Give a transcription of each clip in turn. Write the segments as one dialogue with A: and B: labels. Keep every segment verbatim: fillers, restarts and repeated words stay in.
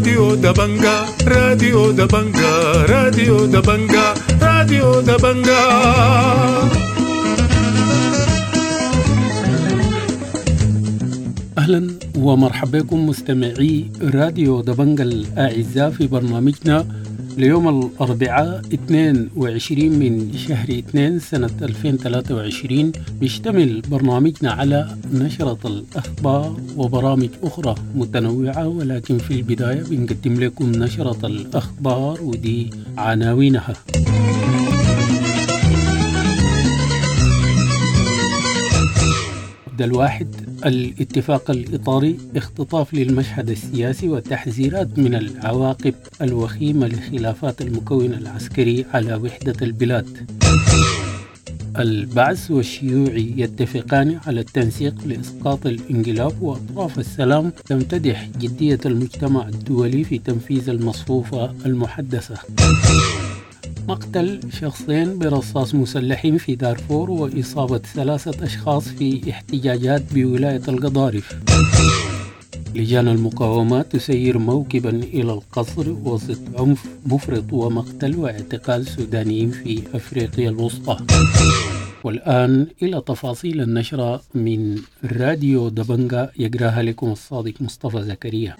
A: راديو دبنجا، راديو دبنجا، راديو دبنجا، راديو دبنجا.
B: أهلا ومرحبا بكم مستمعي راديو دبنجا الأعزاء في برنامجنا ليوم الأربعاء اثنين وعشرين من شهر اثنين سنة ألفين وثلاثة وعشرين. بيشتمل برنامجنا على نشرة الأخبار وبرامج أخرى متنوعة، ولكن في البداية بنقدم لكم نشرة الأخبار ودي عناوينها. الواحد، الاتفاق الإطاري، اختطاف للمشهد السياسي وتحذيرات من العواقب الوخيمة لخلافات المكون العسكري على وحدة البلاد. البعث والشيوعي يتفقان على التنسيق لإسقاط الانقلاب، وأطراف السلام تمتدح جدية المجتمع الدولي في تنفيذ المصفوفة المحدثة. مقتل شخصين برصاص مسلحين في دارفور وإصابة ثلاثة أشخاص في احتجاجات بولاية القضارف. لجان المقاومة تسير موكبا إلى القصر وسط عنف مفرط ومقتل واعتقال سودانيين في أفريقيا الوسطى. والآن إلى تفاصيل النشرة من راديو دبنجا، يقراها لكم الصادق مصطفى زكريا.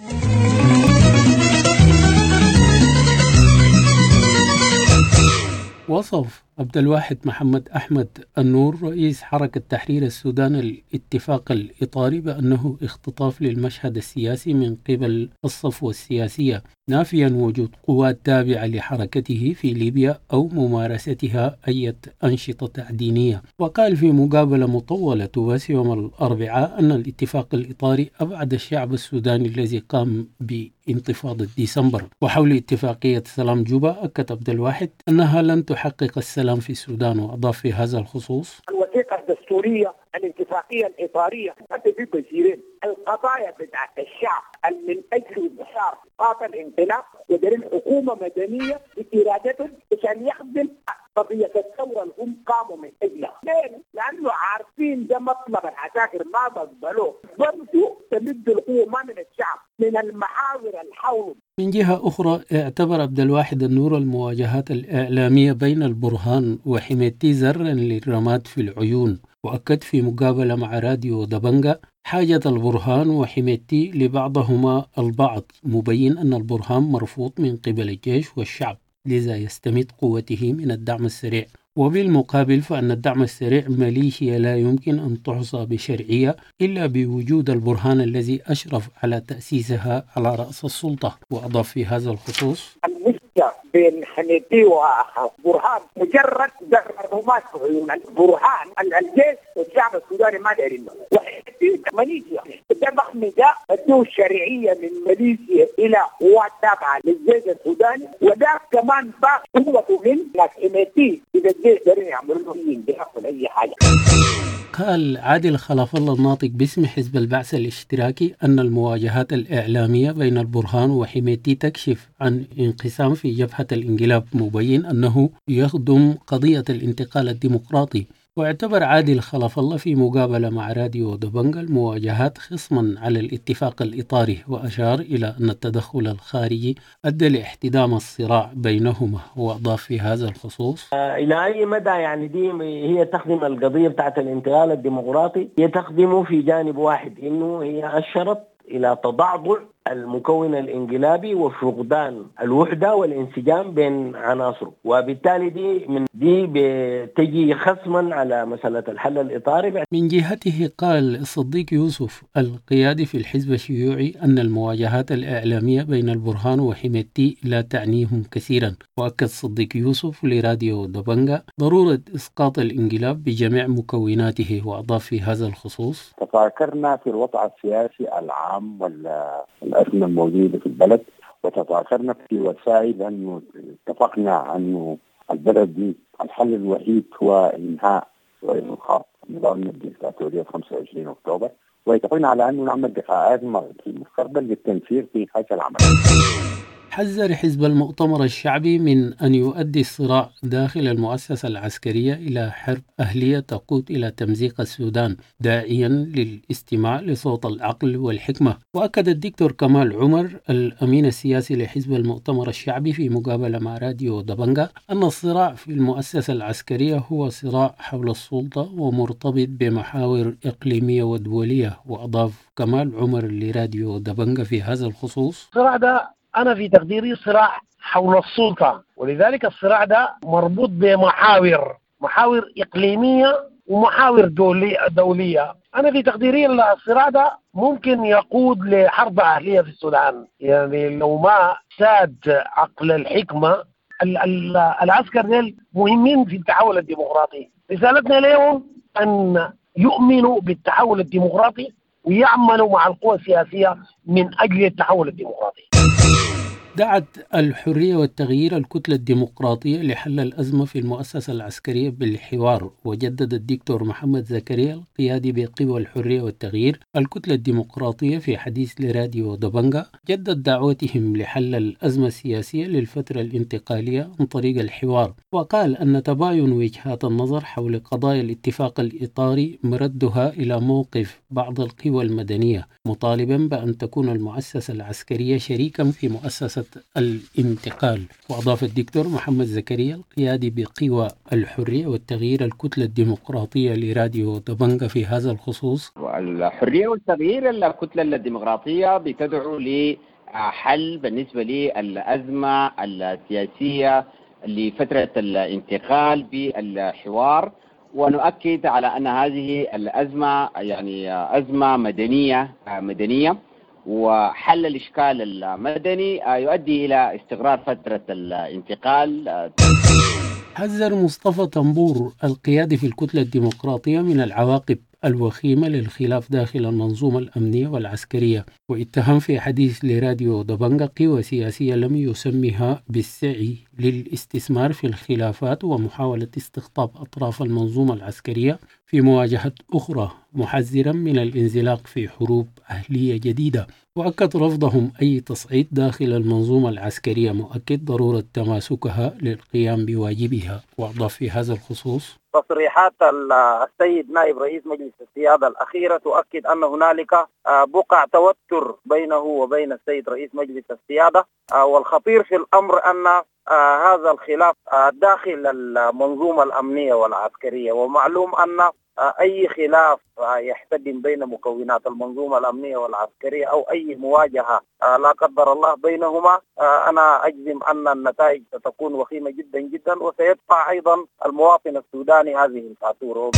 B: وصف عبد الواحد محمد أحمد النور رئيس حركة تحرير السودان الاتفاق الإطاري بأنه اختطاف للمشهد السياسي من قبل الصفوة السياسية، نافيا وجود قوات تابعة لحركته في ليبيا أو ممارستها أي أنشطة تعدينية. وقال في مقابلة مطولة تبث يوم الأربعاء أن الاتفاق الإطاري أبعد الشعب السوداني الذي قام بانتفاضة ديسمبر. وحول اتفاقية سلام جوبا، أكد عبد الواحد أنها لن تحقق السلام في السودان، وأضاف في هذا الخصوص:
C: الوثيقة الدستورية، الاتفاقية الإطارية، حتى في بشيرين القضايا بتاعت الشعب من أجل انتصار قاطع الانقلاب ودرين حكومة مدنية بإرادتهم عشان يخدم قضية الثورة اللي هم قاموا من أجلها. ليه؟ لأنه عارفين ده مطلب العساكر ما بقبلوه، برضو تمد القوة ما من الشعب، من المحاور الحول.
B: من جهة أخرى، اعتبر عبد الواحد النور المواجهات الإعلامية بين البرهان وحميدتي زرا للرماد في العيون، وأكد في مقابلة مع راديو دبنجا حاجة البرهان وحميدتي لبعضهما البعض، مبين أن البرهان مرفوض من قبل الجيش والشعب، لذا يستمد قوته من الدعم السريع. وبالمقابل فأن الدعم السريع ميليشيا لا يمكن أن تحصى بشرعية إلا بوجود البرهان الذي أشرف على تأسيسها على رأس السلطة. وأضاف في هذا الخصوص:
C: المشكلة بين حميدتي وبرهان مجرد رماد في عيون البرهان، الجيش والشعب السوداني ما دايرين، وحميدتي ميليشيا ده ضخم، ده ادوه الشرعية من ماليزيا إلى قوات تابعة للجيش السوداني، وده كمان باقي قوته من ناس حميدتي. إذا الجيش دارين يعملوا لهم أي حاجة.
B: قال عادل خلف الله الناطق باسم حزب البعث الاشتراكي أن المواجهات الإعلامية بين البرهان وحميدتي تكشف عن انقسام في جبهة الانقلاب، مبين أنه يخدم قضية الانتقال الديمقراطي. واعتبر عادل خلف الله في مقابلة مع راديو دبنجا المواجهات خصما على الاتفاق الإطاري، وأشار إلى أن التدخل الخارجي أدى لاحتدام الصراع بينهما. وأضاف في هذا الخصوص:
D: إلى أي مدى يعني دي هي تخدم القضية بتاعت الانتقال الديمقراطي؟ هي تخدمه في جانب واحد، إنه هي أشرت إلى تضعضع المكون الانقلابي وفقدان الوحدة والانسجام بين عناصره، وبالتالي دي من دي بتجي خصما على مسألة الحل الإطاري.
B: من جهته قال الصديق يوسف القيادي في الحزب الشيوعي أن المواجهات الإعلامية بين البرهان وحميدتي لا تعنيهم كثيرا. وأكد صديق يوسف لراديو دبنجا ضرورة إسقاط الانقلاب بجميع مكوناته. وأضاف في هذا الخصوص:
E: تفاكرنا في الوضع السياسي العام والأزمة الموجودة في البلد، وتفاكرنا في وسائل، أنه اتفقنا أنه البلد دي الحل الوحيد هو إنهاء وإلغاء نظام الديكتاتورية خمسة وعشرين أكتوبر، واتفقنا على أنه نعمل لقاءات في المستقبل للتنسيق في هذا العمل.
B: حذر حزب المؤتمر الشعبي من أن يؤدي الصراع داخل المؤسسة العسكرية إلى حرب أهلية تقود إلى تمزيق السودان، داعيا للاستماع لصوت العقل والحكمة. وأكد الدكتور كمال عمر الأمين السياسي لحزب المؤتمر الشعبي في مقابلة مع راديو دبنجا أن الصراع في المؤسسة العسكرية هو صراع حول السلطة ومرتبط بمحاور إقليمية ودولية. وأضاف كمال عمر لراديو دبنجا في هذا الخصوص:
F: الصراع ده أنا في تقديري صراع حول السلطة، ولذلك الصراع ده مربوط بمحاور، محاور إقليمية ومحاور دولية. أنا في تقديري الصراع ده ممكن يقود لحرب أهلية في السودان، يعني لو ما ساد عقل الحكمة. العسكر ديل مهمين في التحول الديمقراطي، رسالتنا لهم أن يؤمنوا بالتحول الديمقراطي ويعملوا مع القوى السياسية من أجل التحول الديمقراطي.
B: دعت الحرية والتغيير الكتلة الديمقراطية لحل الأزمة في المؤسسة العسكرية بالحوار. وجدد الدكتور محمد زكريا القيادي بقوى الحرية والتغيير الكتلة الديمقراطية في حديث لراديو دبنجا جدد دعوتهم لحل الأزمة السياسية للفترة الانتقالية عن طريق الحوار، وقال أن تباين وجهات النظر حول قضايا الاتفاق الإطاري مردها إلى موقف بعض القوى المدنية، مطالبا بأن تكون المؤسسة العسكرية شريكا في مؤسسة الانتقال. وأضاف الدكتور محمد زكريا القيادي بقوى الحرية والتغيير الكتلة الديمقراطية لراديو دبنجا في هذا الخصوص:
G: الحرية والتغيير الكتلة الديمقراطية بتدعو لحل بالنسبة للأزمة السياسية لفترة الانتقال بالحوار، ونؤكد على أن هذه الأزمة يعني أزمة مدنية مدنية وحل الإشكال المدني يؤدي إلى استقرار فترة الانتقال.
B: حذر مصطفى طنبور القيادي في الكتلة الديمقراطية من العواقب الوخيمة للخلاف داخل المنظومة الأمنية والعسكرية، واتهم في حديث لراديو دبنجا قوى سياسية لم يسمها بالسعي للاستثمار في الخلافات ومحاولة استقطاب أطراف المنظومة العسكرية في مواجهة أخرى، محذرا من الانزلاق في حروب أهلية جديدة. وأكد رفضهم أي تصعيد داخل المنظومة العسكرية، مؤكد ضرورة تماسكها للقيام بواجبها. وأضاف في هذا الخصوص:
H: تصريحات السيد نائب رئيس مجلس السيادة الأخيرة تؤكد أن هنالك بقع توتر بينه وبين السيد رئيس مجلس السيادة، والخطير في الأمر أن هذا الخلاف داخل المنظومة الأمنية والعسكرية، ومعلوم أن أي خلاف يحتدم بين مكونات المنظومة الأمنية والعسكرية أو أي مواجهة لا قدر الله بينهما، أنا أجزم أن النتائج ستكون وخيمة جدا جدا، وسيدفع أيضا المواطن السوداني هذه الفاتورة.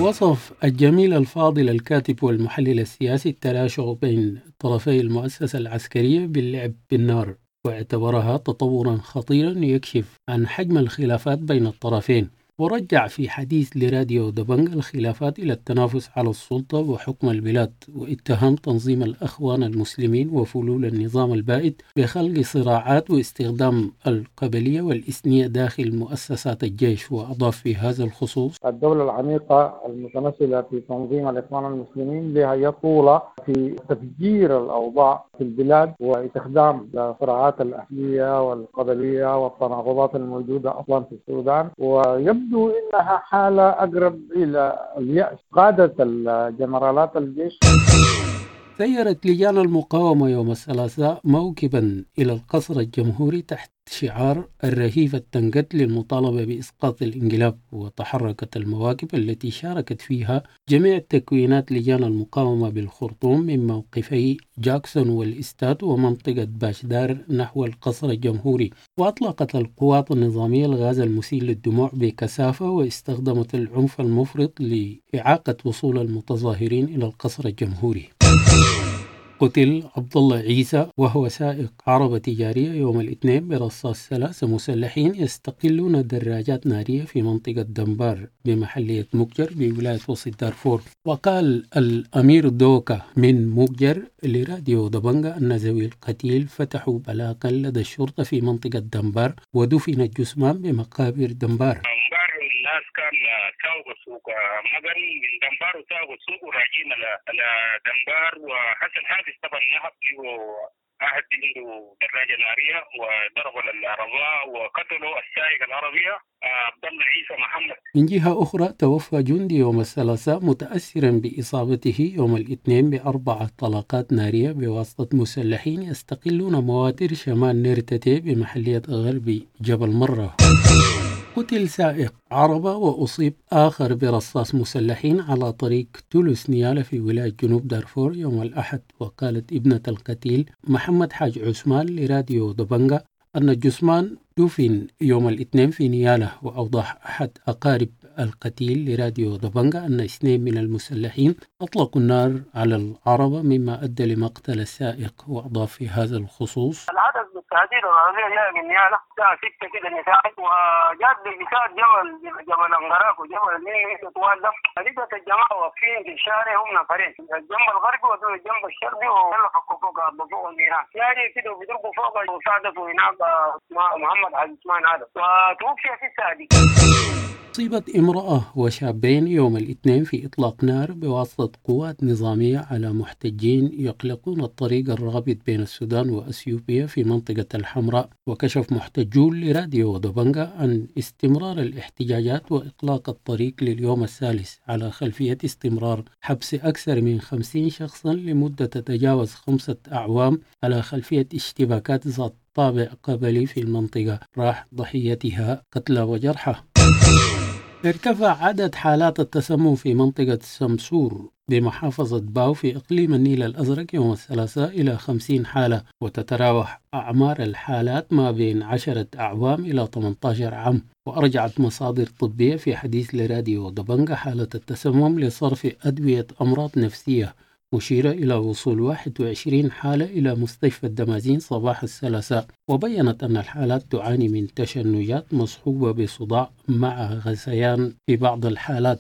B: وصف الجميل الفاضل الكاتب والمحلل السياسي التراشق بين طرفي المؤسسة العسكرية باللعب بالنار، واعتبرها تطورا خطيرا يكشف عن حجم الخلافات بين الطرفين. ورجع في حديث لراديو دبنج الخلافات إلى التنافس على السلطة وحكم البلاد، واتهم تنظيم الأخوان المسلمين وفلول النظام البائد بخلق صراعات واستخدام القبلية والإثنية داخل مؤسسات الجيش. وأضاف في هذا الخصوص:
I: الدولة العميقة المتمثلة في تنظيم الإخوان المسلمين لها يد طولة في تفجير الأوضاع في البلاد واستخدام الصراعات الأهلية والقبلية والتناقضات الموجودة أصلا في السودان، ويبدو إنها حالة أقرب إلى اليأس قادة الجنرالات الجيش.
B: سيرت لجان المقاومة يوم الثلاثاء موكبا إلى القصر الجمهوري تحت شعار الرهيفة التنقد للمطالبة بإسقاط الانقلاب، وتحركت المواكب التي شاركت فيها جميع تكوينات لجان المقاومة بالخرطوم من موقفي جاكسون والإستاد ومنطقة باشدار نحو القصر الجمهوري. وأطلقت القوات النظامية الغاز المسيل للدموع بكثافة، واستخدمت العنف المفرط لإعاقة وصول المتظاهرين إلى القصر الجمهوري. قتل عبد الله عيسى وهو سائق عربة تجارية يوم الاثنين برصاص ثلاثة مسلحين يستقلون دراجات نارية في منطقة دنبار بمحلية مكجر بولاية وسط دارفور. وقال الأمير دوكا من مكجر لراديو دبنجا أن ذوي القتيل فتحوا بلاغا لدى الشرطة في منطقة دنبار، ودفن الجثمان بمقابر دنبار.
J: الناس كان تاوب السوق مدن من دنبار وتاوب السوق وراجعين على دنبار، وحسن حادث طبعا نهب له واحد عنده دراجة نارية وضرب العربة وقتلوا السائق العربية عبد الله عيسى محمد.
B: من جهة أخرى توفى جندي يوم الثلاثاء متأثرا بإصابته يوم الاثنين بأربعة طلقات نارية بواسطة مسلحين يستقلون مواتر شمال نيرتتي بمحلية غرب جبل مرة. قتل سائق عربة وأصيب آخر برصاص مسلحين على طريق تولوس نيالا في ولاية جنوب دارفور يوم الأحد. وقالت ابنة القتيل محمد حاج عثمان لراديو دبنجا أن الجثمان دفن يوم الاثنين في نيالا. وأوضح أحد أقارب القتيل لراديو دبنجا أن اثنين من المسلحين أطلقوا النار على العربة مما أدى لمقتل السائق. وأضاف في هذا الخصوص:
J: العدد بالتحديد العربية جاية من نيالا الساعة ستة كده مساء، وجات بالمساء جبل جبل أنغراك وجبل النيل طوال ده، لقت الجماعة واقفين في الشارع، هم نفرين، الجنب الغربي والجنب الشرقي، ويلا فكوا فوق فوق النيران يعني كده وبيضربوا فوق، وصادفوا هناك محمد عثمان آدم وتوفي في الساعة دي.
B: أصيبت امرأة وشابين يوم الاثنين في إطلاق نار بواسطة قوات نظامية على محتجين يقلقون الطريق الرابط بين السودان وأثيوبيا في منطقة الحمراء. وكشف محتجون لراديو دبنجا عن استمرار الاحتجاجات وإطلاق الطريق لليوم الثالث على خلفية استمرار حبس أكثر من خمسين شخصا لمدة تتجاوز خمسة أعوام على خلفية اشتباكات ذات طابع قبلي في المنطقة راح ضحيتها قتلى وجرحى. ارتفع عدد حالات التسمم في منطقة سمسور بمحافظة باو في إقليم النيل الأزرق يوم الثلاثاء إلى خمسين حالة، وتتراوح أعمار الحالات ما بين عشرة أعوام إلى ثمانية عشر عام. وأرجعت مصادر طبية في حديث لراديو دبنجا حالة التسمم لصرف أدوية أمراض نفسية، مشيرة إلى وصول واحد وعشرين حالة إلى مستشفى الدمازين صباح الثلاثاء. وبينت أن الحالات تعاني من تشنجات مصحوبة بصداع مع غثيان في بعض الحالات.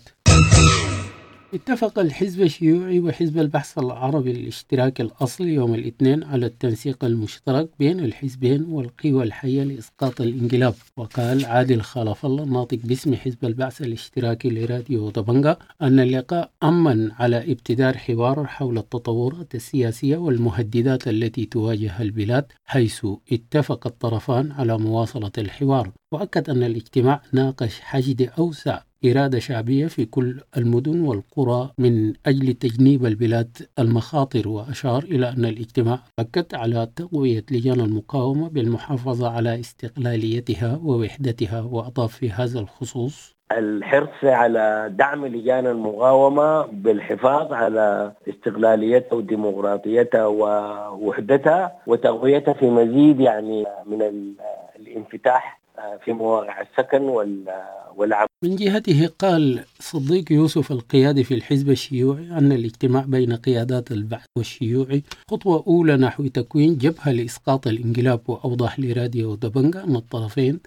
B: اتفق الحزب الشيوعي وحزب البحث العربي الاشتراكي الأصلي يوم الاثنين على التنسيق المشترك بين الحزبين والقوى الحية لإسقاط الانقلاب. وقال عادل خلف الله الناطق باسم حزب البعث الاشتراكي لراديو دبنجا أن اللقاء أمن على ابتدار حوار حول التطورات السياسية والمهددات التي تواجه البلاد، حيث اتفق الطرفان على مواصلة الحوار. وأكد أن الاجتماع ناقش حشد أوسع إرادة شعبية في كل المدن والقرى من أجل تجنيب البلاد المخاطر. وأشار إلى أن الاجتماع أكد على تقوية لجان المقاومة بالمحافظة على استقلاليتها ووحدتها. وأضاف في هذا الخصوص:
D: الحرص على دعم لجان المقاومة بالحفاظ على استقلاليتها وديمقراطيتها ووحدتها وتقويتها في مزيد يعني من الانفتاح في مواقع السكن والعمل.
B: من جهته قال صديق يوسف القيادي في الحزب الشيوعي أن الاجتماع بين قيادات البعث والشيوعي خطوة أولى نحو تكوين جبهة لإسقاط الانقلاب. وأوضح لراديو دبنجا أن الطرفين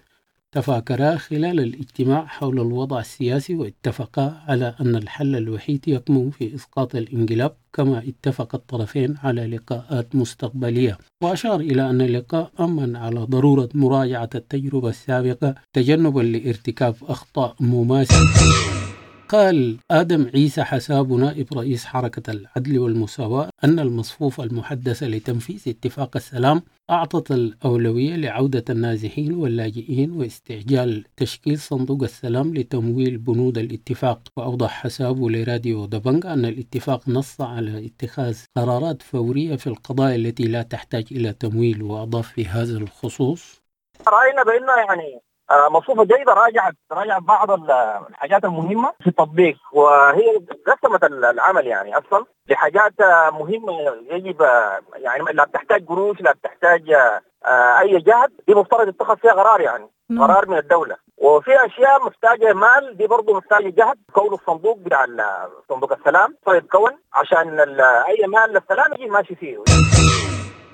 B: تفاكرا خلال الاجتماع حول الوضع السياسي واتفقا على أن الحل الوحيد يكمن في إسقاط الانقلاب، كما اتفق الطرفين على لقاءات مستقبلية. وأشار إلى أن اللقاء أمن على ضرورة مراجعة التجربة السابقة تجنبا لارتكاب أخطاء مماثلة. قال آدم عيسى حساب نائب رئيس حركة العدل والمساواة أن المصفوفة المحدثة لتنفيذ اتفاق السلام أعطت الأولوية لعودة النازحين واللاجئين واستعجال تشكيل صندوق السلام لتمويل بنود الاتفاق. وأوضح حسابه لراديو دبنج أن الاتفاق نص على اتخاذ قرارات فورية في القضايا التي لا تحتاج إلى تمويل. وأضاف في هذا الخصوص:
K: رأينا بأنه يعني مصفوفة جيدة راجعت راجعت بعض الحاجات المهمة في التطبيق، وهي قسمت العمل يعني أصلا لحاجات مهمة يجب يعني لا بتحتاج قروش، لا بتحتاج أي جهد، دي مفترض يتخذ فيها قرار يعني قرار من الدولة. وفي أشياء محتاجة مال، دي برضو محتاجة جهد. كون الصندوق بتاع صندوق السلام طيب كون عشان أي مال للسلام يجي ماشي فيه.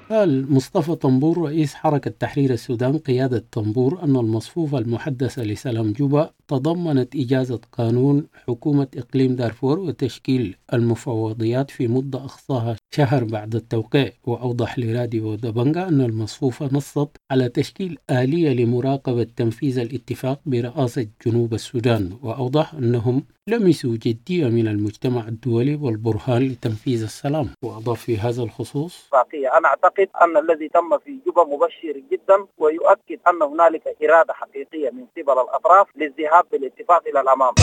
B: قال مصطفى طنبور رئيس حركة تحرير السودان قيادة طنبور أن المصفوفة المحدثة لسلام جوبا تضمنت إجازة قانون حكومة إقليم دارفور وتشكيل المفوضيات في مدة أقصاها شهر بعد التوقيع. وأوضح لراديو دبنجا أن المصفوفة نصت على تشكيل آلية لمراقبة تنفيذ الاتفاق برئاسة جنوب السودان. وأوضح أنهم لمسوا جدية من المجتمع الدولي والبرهان لتنفيذ السلام. وأضاف في هذا الخصوص:
H: أنا أعتقد أن الذي تم في جوبا مبشر جدا ويؤكد أن هنالك إرادة حقيقية من قبل الأطراف للذهاب بالاتفاق إلى الأمام.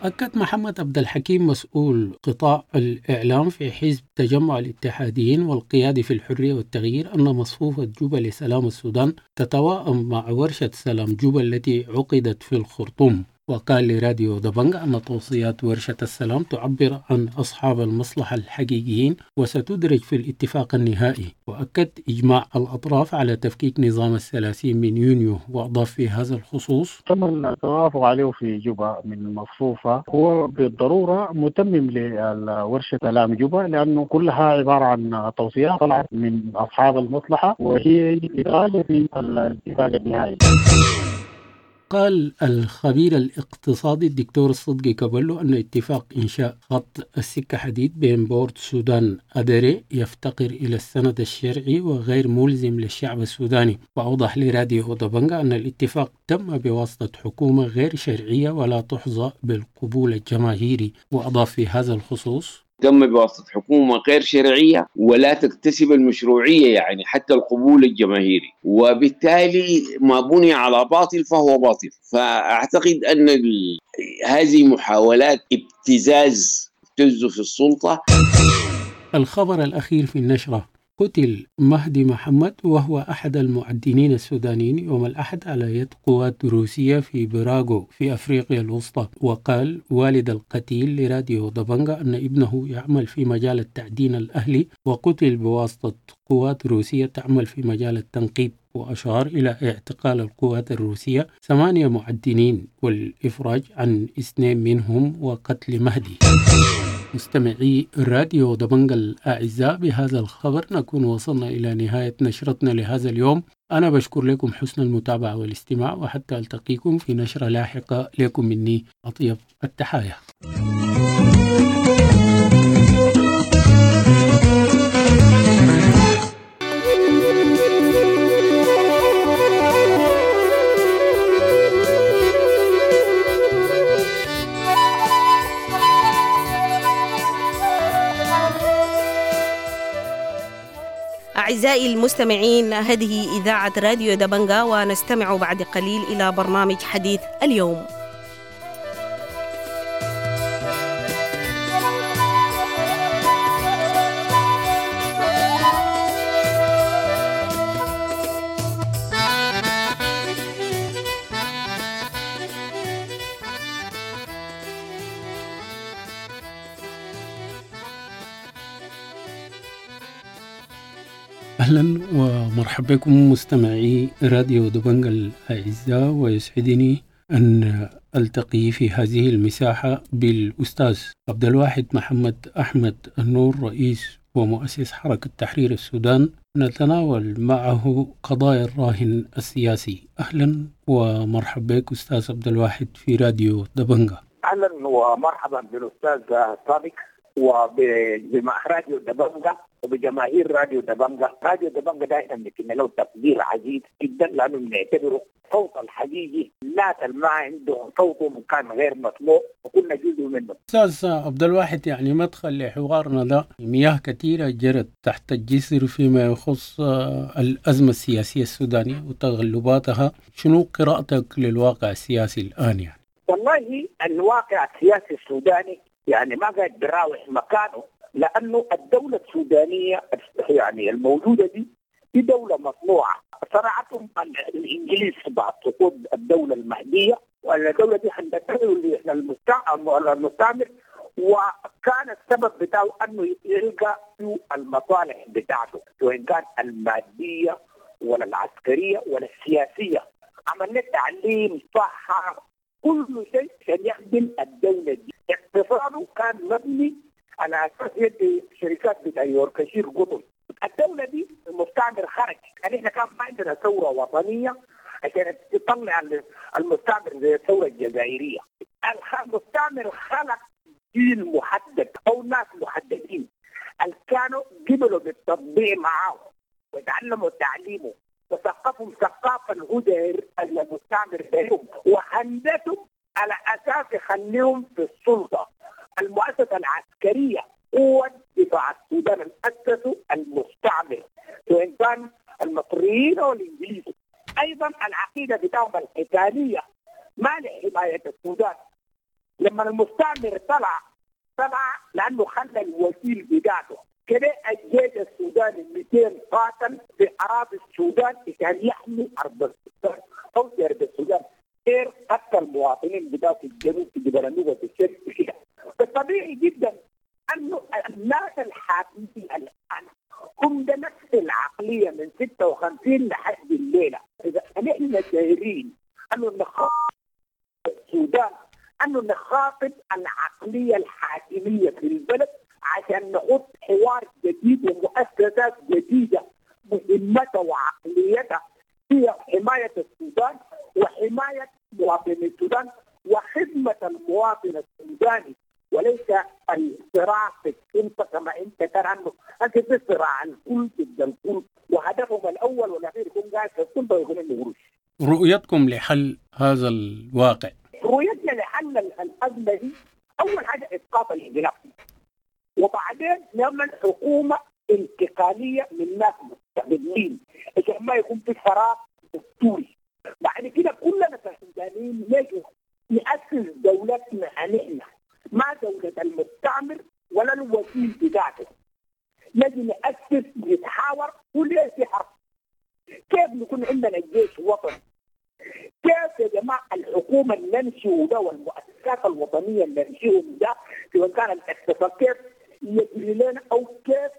B: أكد محمد عبد الحكيم مسؤول قطاع الإعلام في حزب تجمع الاتحاديين والقيادي في الحرية والتغيير أن مصفوفة جوبا لسلام السودان تتواءم مع ورشة سلام جوبا التي عقدت في الخرطوم. وقال لراديو دبنج أن توصيات ورشة السلام تعبر عن أصحاب المصلحة الحقيقيين وستدرج في الاتفاق النهائي. وأكد إجماع الأطراف على تفكيك نظام الثلاثين من يونيو. وأضاف في هذا الخصوص:
I: تم التوافق عليه في جوبا من مصفوفة هو بالضرورة متمم لورشة سلام جوبا، لأنه كلها عبارة عن توصيات طلعت من أصحاب المصلحة وهي إدراج في الاتفاق النهائي.
B: قال الخبير الاقتصادي الدكتور الصدقي كابلو أن اتفاق إنشاء خط السكة حديد بين بورت سودان أدري يفتقر إلى السند الشرعي وغير ملزم للشعب السوداني. وأوضح لراديو دبنجا أن الاتفاق تم بواسطة حكومة غير شرعية ولا تحظى بالقبول الجماهيري. وأضاف في هذا الخصوص:
L: تم بواسطة حكومة غير شرعية ولا تكتسب المشروعية، يعني حتى القبول الجماهيري، وبالتالي ما بني على باطل فهو باطل. فأعتقد أن هذه محاولات ابتزاز ابتز في السلطة.
B: الخبر الأخير في النشرة: قتل مهدي محمد وهو أحد المعدنين السودانيين يوم الأحد على يد قوات روسية في براغو في أفريقيا الوسطى. وقال والد القتيل لراديو دبنجا أن ابنه يعمل في مجال التعدين الأهلي وقتل بواسطة قوات روسية تعمل في مجال التنقيب. وأشار إلى اعتقال القوات الروسية ثمانية معدنين والإفراج عن اثنين منهم وقتل مهدي. مستمعي راديو دبنجا الأعزاء، بهذا الخبر نكون وصلنا إلى نهاية نشرتنا لهذا اليوم. أنا بشكر لكم حسن المتابعة والاستماع، وحتى ألتقيكم في نشرة لاحقة. لكم مني أطيب التحايا.
M: أعزائي المستمعين، هذه إذاعة راديو دبنجا، ونستمع بعد قليل إلى برنامج حديث اليوم.
B: أهلا ومرحبا بكم مستمعي راديو دبنجا الأعزاء، ويسعدني أن ألتقي في هذه المساحة بالأستاذ عبد الواحد محمد أحمد النور، رئيس ومؤسس حركة تحرير السودان، نتناول معه قضايا الراهن السياسي. أهلا ومرحبا بك أستاذ عبد الواحد في راديو دبنجا.
C: أهلا ومرحبا بالأستاذ صادق وبراديو دبنجا وبجماهير راديو دبنجا. راديو دبنجا دائما بنكن له تقدير عزيز جدا، لانه بنعتبره صوت الحقيقي، الناس اللي ما عندهم صوتهم كان غير مسموع وكنا جزء منه.
B: استاذ عبد الواحد، يعني مدخل لحوارنا ده، مياه كثيره جرت تحت الجسر فيما يخص الازمه السياسيه السودانيه وتغلباتها، شنو قراءتك للواقع السياسي الان يعني؟
C: والله الواقع السياسي السوداني يعني ما قاعد براوح مكانه، لأنه الدولة السودانية يعني الموجودة دي دي دولة مصنوعة صنعتهم الإنجليز بعد سقوط الدولة المهدية، والدولة دي هندسة المستعمر، وكان السبب بتاعه أنه يلقى المصالح بتاعته سواء كان المادية ولا العسكرية ولا السياسية. عملنا تعليم، صحة، كل شيء عشان يخدم الدولة دي. اقتصاده كان مبني على اساس يدي شركات بتاع يوركشير قطن. الدولة دي المستعمر خرج، يعني احنا كان ما عندنا ثورة وطنية عشان تطلع المستعمر زي الثورة الجزائرية. المستعمر خلق جيل محدد او ناس محددين اللي كانوا قبلوا بالتطبيع معاه وتعلموا تعليمه وثقفهم ثقافة الهدى المستعمر بهم وهندسهم على اساس اساس يخليهم في السلطة. المؤسسة العسكرية قوة دفاع السودان اللي اسسوا المستعمر سواء كان المصريين او الانجليز. ايضا العقيدة بتاعهم القتالية ما لحماية السودان. لما المستعمر طلع طلع لانه خلى الوكيل بتاعته كده. الجيش السوداني مئتين قاتل في اراضي السودان عشان يحمي ارض السودان او ارض السودان، غير قتل المواطنين بتاعه في الجنوب في جبل النوبة في الشرق كده. فطبيعي جدا انه الناس الحاكمين الان هم ده نفس العقلية من ستة وخمسين لحد الليلة. اذا نحن دايرين انه نخاطب السودان، انه نخاطب العقلية الحاكمية في البلد عشان نحط حوار جديد ومؤسسات جديدة مهمتها وعقليتها هي حماية السودان وحماية مواطني السودان وخدمه المواطن السوداني، وليس الصراع في السلطة كما انت ترى انه في صراع الكل ضد الكل، وهدفهم الاول والاخير يكون قاعد في السلطة ويكون عنده قروش.
B: رؤيتكم لحل هذا الواقع؟
C: رؤيتنا لحل الازمة دي اول حاجة اسقاط الانقلاب، وبعدين نعمل حكومة انتقالية من ناس مستقلين عشان ما يكون في فراغ دستوري. بعد كده كلنا كسودانيين نجي نأسس دولتنا نحن، ما دولة المستعمر ولا الوكيل بتاعته. نجي نأسس نتحاور وليه في حرب. كيف نكون عندنا جيش وطني؟ كيف يا جماعة الحكومة اللي ننشئه ده والمؤسسات الوطنية اللي ننشئهم ده سواء كان الاقتصاد كيف يجري لنا او كيف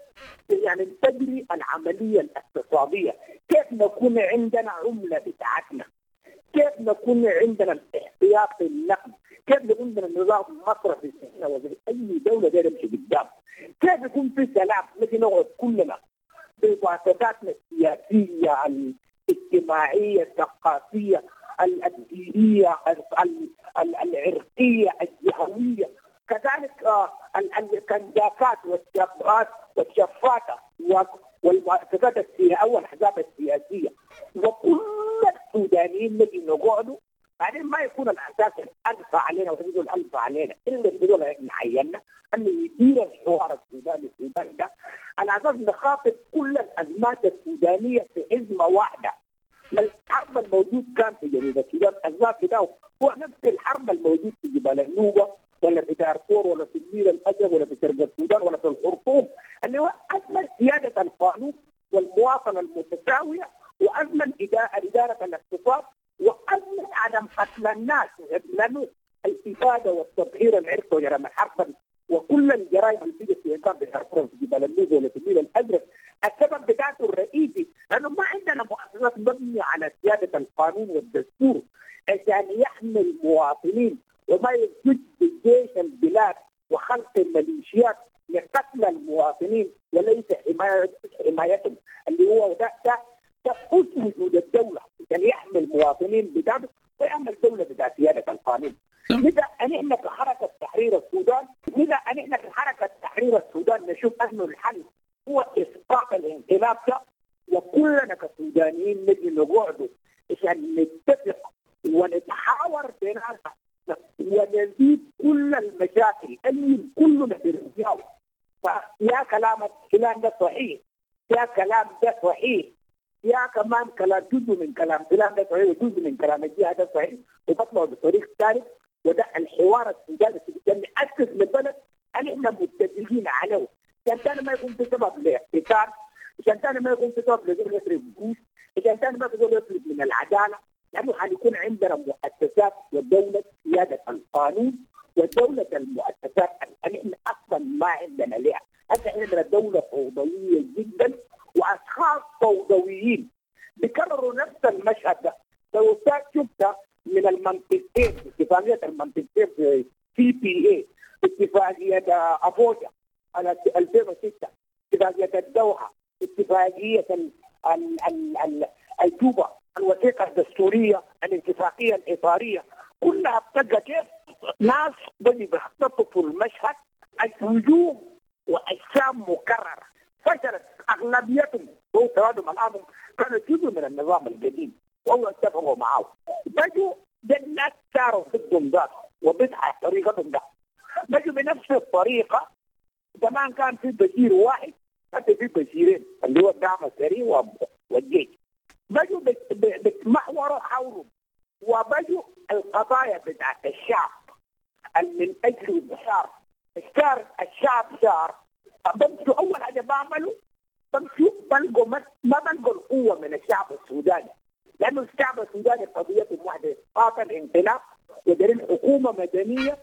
C: يعني تجري العملية الاقتصادية، كيف نكون عندنا عمله بتاعتنا، كيف نكون عندنا الاحتياطي النقد، كيف نكون عندنا نظام مصرفي احنا وزي اي دولة دايرة تمشي قدام، كيف يكون في سلام نجي نقعد كلنا بمؤسساتنا السياسية الاجتماعية الثقافية الدينية العرقية الجهوية، كذلك الكنداكات والشابات والشفاته والمؤسسات السياسية والاحزاب السياسية، وكل السودانيين نجي نقعدوا. بعدين ما يكون الاساس الالفة علينا وحدود الالفة علينا الا الدول اللي عينا انه يدير الحوار السوداني السوداني ده على اساس نخاطب كل الازمات السودانية في ازمة واحدة. الحرب الموجود كان في جنوب السودان الازمات بتاعه هو نفس الحرب الموجود في جبال النوبة ولا في دارفور ولا في النيل الازرق ولا في شرق السودان ولا في الخرطوم، اللي هو ازمة سيادة القانون والمواطنه المتساويه وازمة ادارة الاقتصاد وازمة عدم قتل الناس، لانه الابادة والتطهير العرقي وجرائم الحرب وكل الجرائم اللي بتيجي في كان في دارفور في جبال النوبة ولا في النيل الازرق السبب بتاعته الرئيسي لانه ما عندنا مؤسسات مبنية على سيادة القانون والدستور عشان يحمي المواطنين وما يزج بالجيش البلاد وخلق الميليشيات لقتل المواطنين وليس حماية حمايتهم اللي هو ده ده ده وجود الدولة عشان يحمي المواطنين بتاعته ويعمل دولة بتاع سيادة القانون. لذا نحن كحركه تحرير السودان، لذا نحن كحركه تحرير السودان نشوف انه الحل هو اسقاط الانقلاب ده، وكلنا كسودانيين نجي نقعد عشان نتفق ونتحاور بيناتنا ونزيد كل المشاكل اللي كلنا بنرجعه. فيا كلام فلان ده صحيح، يا كلام ده صحيح، يا كمان كلام جزء من كلام فلان ده صحيح وجزء من كلام الجهة ده صحيح، وبطلعوا بطريق ثالث. وده الحوار السوداني السوداني نأسس للبلد اللي احنا متفقين عليه، عشان ثاني ما يكون في سبب لاحتكار، عشان ثاني ما يكون في سبب لزول يسرق قروش، عشان ثاني ما في زول يطلب من العدالة، لانه حيكون عندنا مؤسسات ودولة سيادة القانون ودولة المؤسسات اللي احنا اصلا ما عندنا لها. هسه عندنا دولة فوضوية جدا واشخاص فوضويين بيكرروا نفس المشهد ده. لو شفت من المنطقتين، اتفاقية المنطقتين في سي بي اي، اتفاقية افوجا على ألفين وستة، اتفاقية الدوحة، اتفاقية ال ال ال الجوبا، الوثيقة الدستورية، الاتفاقية الاطاريه، كلها بتبقى كيف ناس بدي بيخططوا المشهد الوجوه واجسام مكررة فشلت اغلبيتهم هو ترادم الامر كانوا جزء من النظام القديم وهو اتفقوا معه، بجوا ده الناس صاروا ضدهم ذاته. وبدعة طريقتهم ده. بجوا بنفس الطريقة. زمان كان في بشير واحد، حتى في بشيرين اللي هو الدعم السريع والجيش. بجوا بتمحوروا حولهم، وبجوا القضايا بتاعت الشعب من اجل الشعب الشعب الشعب شعر. بمشوا اول حاجة بعملوا بمشوا بلقوا ما بلقوا القوة من الشعب السوداني، لانه الشعب السوداني قضيتهم واحدة، قاتل انقلاب ودارين حكومة مدنية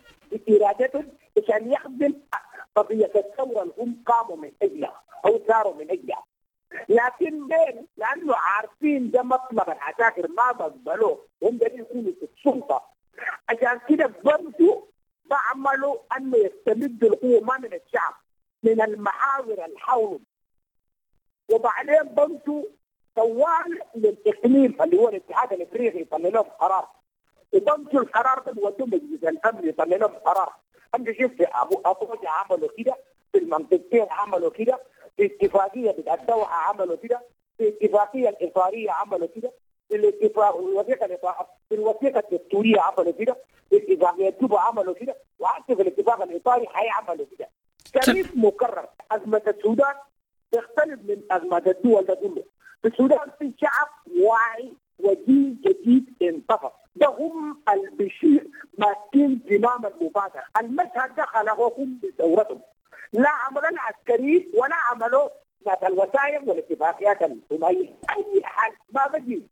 C: بارادتهم عشان يخدم قضية الثورة اللي هم قاموا من اجلها او ثاروا من اجلها. لكن بين لانه عارفين ده مطلب العساكر ما بقبلوه، هم دارين يكونوا في السلطة، عشان كده بمشوا بعملوا انه يستمدوا القوة ما من الشعب، من المحاور اللي حولهم. وبعدين بمشوا طوال للاقليم اللي هو الاتحاد الافريقي يطلع لهم قرار، وبمشوا القرار ده بيودوه مجلس الامن يطلع لهم قرار. انت شوف في ابو ابوجا عملوا كده، في المنطقتين عملوا كده، في اتفاقية بتاع الدوحة عملوا كده، في الاتفاقية الاطاريه عملوا كده، في الاتفاق الوثيقة الاطاريه، في الوثيقة الدستورية عملوا كده، في اتفاقية جوبا عملوا كده، وحتى في الاتفاق الاطاري حيعملوا كده. تاريخ مكرر. ازمة السودان تختلف من ازمة الدول ده كله. في السودان في شعب واعي وجيل جديد انتفض، ده هم البشير ماسكين زمام المبادرة. المشهد ده خلقوهم بثورتهم، لا عملوا العسكريين ولا عملوا ذات الوثائق والاتفاقيات الثنائية. اي حل ما بجي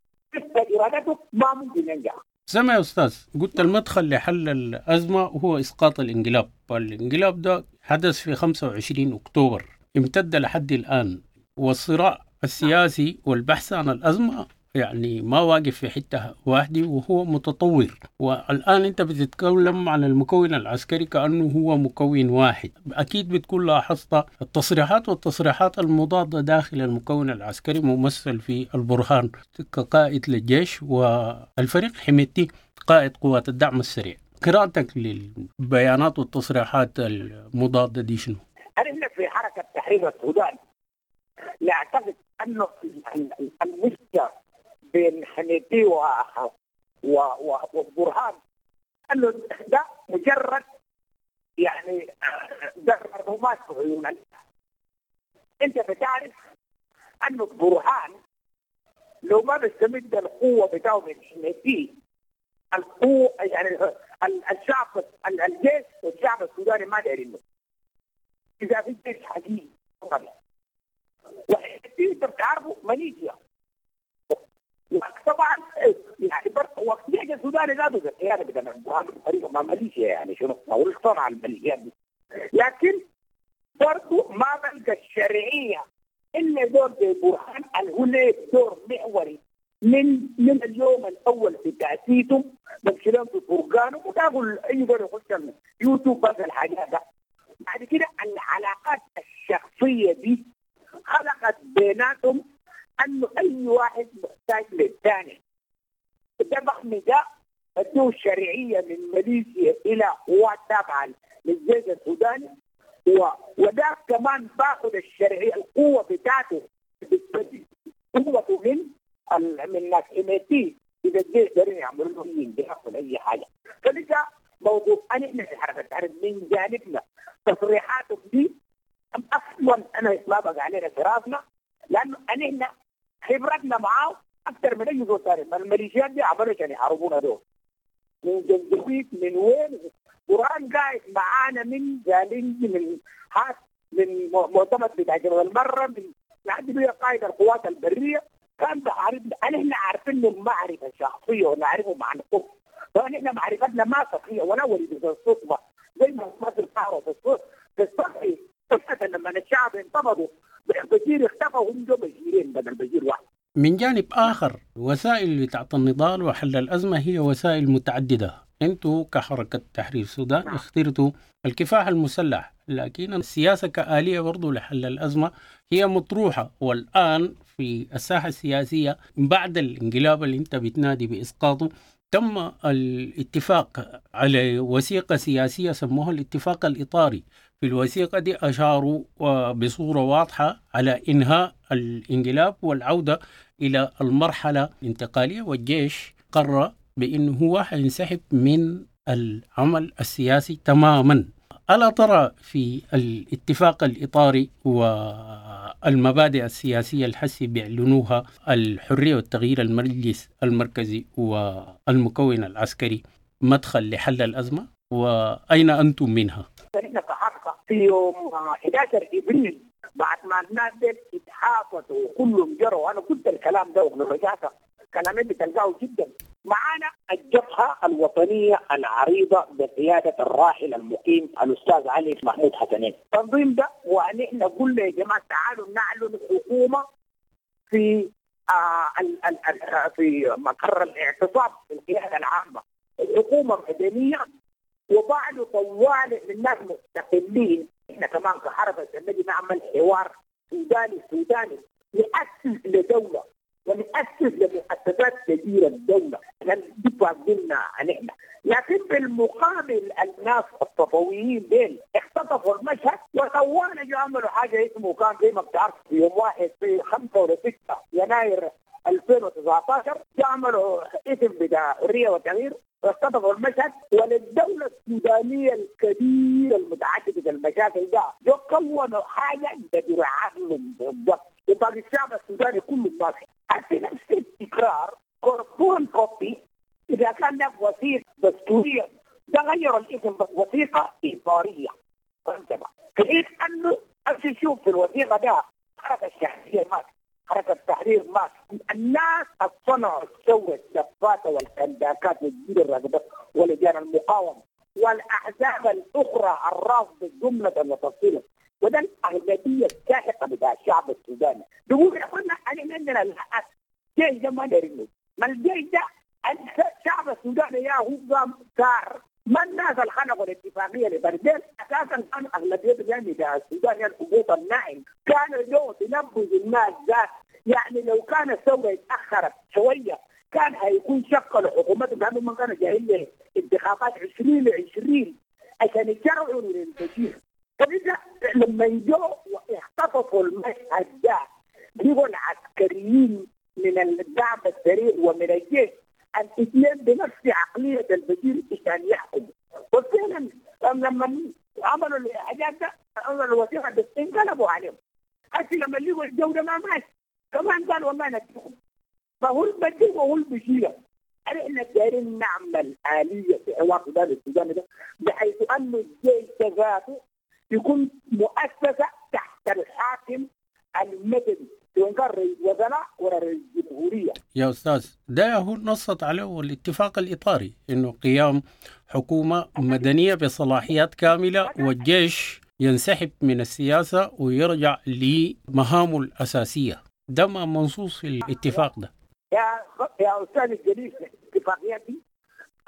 C: ارادته ما ممكن ينجح.
B: سمع يا أستاذ، قلت المدخل لحل الأزمة هو إسقاط الانقلاب. الانقلاب ده حدث في خمسة وعشرين أكتوبر، امتد لحد الآن، والصراع السياسي والبحث عن الأزمة يعني ما واقف في حتة واحدة وهو متطور. والآن أنت بتتكلم عن المكون العسكري كأنه هو مكون واحد. أكيد بتكون لاحظت التصريحات والتصريحات المضادة داخل المكون العسكري ممثل في البرهان كقائد للجيش والفريق حميدتي قائد قوات الدعم السريع. قراءتك للبيانات والتصريحات المضادة دي شنو؟
C: أنا في حركة تحرير السودان لا أعتقد أنه المشكلة بين حميدتي و... و... والبرهان انه ده مجرد يعني ده رمات في عيون. انت بتعرف انه البرهان لو ما بيستمد القوة بتاعه من حميدتي، القوة يعني الشعب الجيش والشعب السوداني ما دايرينه. اذا في جيش حقيقي وحميدتي انت بتعرفه ماليزيا طبعا، يعني وقت الجيش السوداني ذاته القيادة بتاع البرهان بطريقة مع ماليزيا، يعني شنو هو صنع الماليزيات دي، لكن برضه ما بلقى الشرعية الا دور برهان اللي هو له دور محوري من من اليوم الاول في تاسيسهم، بمشي لهم في فرقانهم وتاكل اي دور يخش يوتيوب بس الحاجات ده. بعد كده العلاقات الشخصية دي خلقت بيناتهم انه اي واحد محتاج للثاني. ده بخمي ده ادوه الشرعية من ماليزيا الى قوات تابعه للجيش السوداني، وده كمان باخذ الشرعية القوة بتاعته قوته من من ناس حميدتي. اذا الجيش دارين يعملوا له اي انقلاب ولا اي حاجة. فلذا موضوع انا في حركة التحرير من جانبنا تصريحاتهم دي اصلا انا ما بقى علينا في راسنا، لانه احنا خبرتنا معاه اكثر من اي زول ثاني. الميليشيات دي عملوا عشان يحاربونا دول من جنجويت من وين. برهان قاعد معانا من جالنج من حاس من مؤتمر بتاع جبل المرة من لحد بيه قائد القوات البرية كان بحاربنا. احنا عارفين له المعرفة الشخصية ونعرفه مع القوة، فنحن معرفتنا ما سطحية ولا ولد الصدفة زي ما مصر تعرف في السطحي. لما الشعب انتفضوا بشير اختفى وهم جو بشيرين بدل بشير واحد.
B: من جانب آخر، وسائل بتاعت النضال وحل الأزمة هي وسائل متعددة. أنتوا كحركة تحرير السودان اخترتوا الكفاح المسلح، لكن السياسة كآلية برضو لحل الأزمة هي مطروحة. والآن في الساحة السياسية بعد الانقلاب اللي انت بتنادي بإسقاطه، تم الاتفاق على وثيقة سياسية سموها الاتفاق الإطاري. في الوثيقة دي أشاروا بصورة واضحة على إنهاء الانقلاب والعودة إلى المرحلة الانتقالية، والجيش قرر بأنه هو حينسحب من العمل السياسي تماما. ألا ترى في الاتفاق الإطاري والمبادئ السياسية الحسي بيعلنوها الحرية والتغيير المجلس المركزي والمكون العسكري مدخل لحل الأزمة؟ وأين أنتم منها؟
C: نحن كحركة في يوم أحد عشر إبريل بعد ما الناس اتحافتوا وكلهم جروا، أنا قلت الكلام ده ورجعت كلامي بتلقاه جدا. معانا الجبهة الوطنية العريضة بقيادة الراحل المقيم الأستاذ علي محمود حسنين. التنظيم ده ونحن قلنا يا جماعة تعالوا نعلن حكومة في آه ال ال ال في مقر الاعتصام في القيادة العامة، حكومة مدنية وبعد طوال الناس مستقلين. احنا كمان كحركة نجي نعمل حوار سوداني سوداني نأسس لدولة ونأسس لمؤسسات كبيرة الدولة عشان دي قلنا نحن. لكن بالمقابل الناس الصفويين ديل اختطفوا المشهد وطوال عملوا حاجة اسمه كان زي ما بتعرف في يوم واحد في خمسة ولا ستة يناير ألفين وتسعة عشر عملوا اسم بتاع حرية وتغيير واختطفوا المشهد. وللدولة السودانية الكبيرة المتعددة المشاكل ده جو كونوا حاجة تدير عقلهم بالضبط، وباقي الشعب السوداني كله ماشي في نفس التكرار كربون كوبي. إذا كان لك وثيقة دستورية ده غيروا الاسم بس وثيقة إطارية، فهمت بقى؟ في أنه أمشي شوف في الوثيقة ده حركة الشعبية مات، حركة التحرير مات، الناس صنعوا الثورة الدفاتة والكنداكات والجيل الرقبة ولجان المقاومة والأحزاب الأخرى الرافضة جملة وتفصيلا، وده الأغلبية الساحقة بتاع الشعب السوداني. بيقول يا اخوانا احنا عندنا الحق، الجيش ده ما دارينه، ما الجيش ده الشعب السوداني يا هو قام ثار، ما الناس اللي خلقوا الاتفاقية لبردين اساسا كانوا اغلبيتهم يعني بتاع السودان يعني الهبوط الناعم، كانوا جو بينبذوا الناس ذات. يعني لو كان الثورة اتاخرت شوية كان هيكون شكلوا حكومتهم، لانهم ما كانوا جايين انتخابات عشرين عشرين عشان يشرعوا للبشير. فإذا لما يجوا واختطفوا المشهد ده بيجوا العسكريين من الدعم السريع ومن الجيش الاثنين بنفس عقلية البشير عشان يحكموا. وفعلا لما عملوا الحاجات ده عملوا الوثيقة بس انقلبوا عليهم. هسه لما لقوا الجو ده ما ماشي كمان قالوا والله نديهم، فهو البديل وهو البشير. احنا دايرين نعمل آلية في حوار السودان السوداني ده بحيث أن الجيش ذاته يكون مؤسسة تحت الحاكم المدني سواء كان رئيس وزراء ولا رئيس جمهورية.
B: يا أستاذ ده هو نصت عليه الاتفاق الإطاري، إنه قيام حكومة مدنية بصلاحيات كاملة والجيش ينسحب من السياسة ويرجع لمهامه الأساسية. ده ما منصوص في الاتفاق ده.
C: يا يا أستاذ الجليل الاتفاقيات دي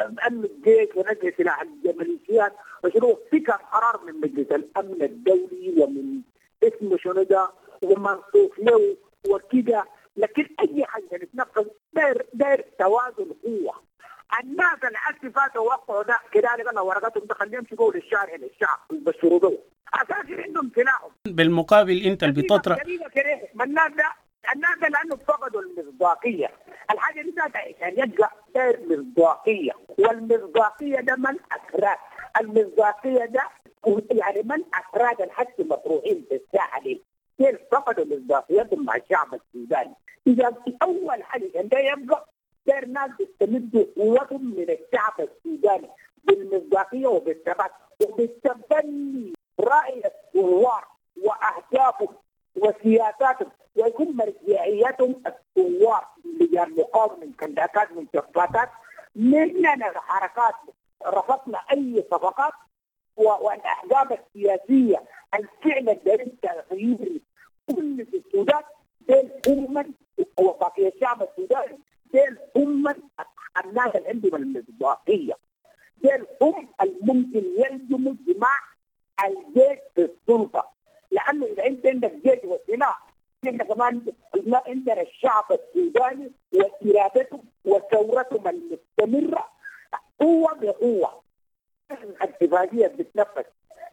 C: أن الجيش ونجح سلاح الميليشيات وشنو في كان قرار من مجلس الأمن الدولي ومن اسمه شنو ده ومنصوص له وكده، لكن أي حاجة نتنفذ داير داير توازن قوة. الناس اللي فاتوا وقعوا ده كده قالوا ورقتهم ده خليهم يمشوا للشارع للشعب ويبشروا به أساسا عندهم سلاحهم.
B: بالمقابل أنت اللي بتطرح
C: ما الناس ده الناس ده لأنه فقدوا المصداقية. الحاجة دي ذاتها عشان يبقى داير مصداقية، والمصداقية ده من أفراد، المصداقية ده يعني من أفراد الحس مطروحين في الساحة دي كيف فقدوا مصداقيتهم مع الشعب السوداني. إذا أول حاجة عشان ده يبقى داير ناس يستمدوا قوتهم من الشعب السوداني بالمصداقية وبالثبات وبالتبني رأي الثوار وأهدافهم وسياساتهم، ويكون مرجعيتهم الثوار لجان مقاومة من كنداكات من شفاتات. مننا الحركات رفضنا أي صفقات، والأحزاب السياسية الفعل الدليل تغيير كل في السودان بين هم وبقية الشعب السوداني، بين هم الناس اللي عندهم المصداقية، بين هم الممكن يلزموا جماع الجيش في السلطة. لأنه إذا أنت عندك جيش وسلاح إحنا كمان عندنا الشعب السوداني وإرادته وثورتهم المستمرة قوة بقوة. الاتفاقية بتتنفذ،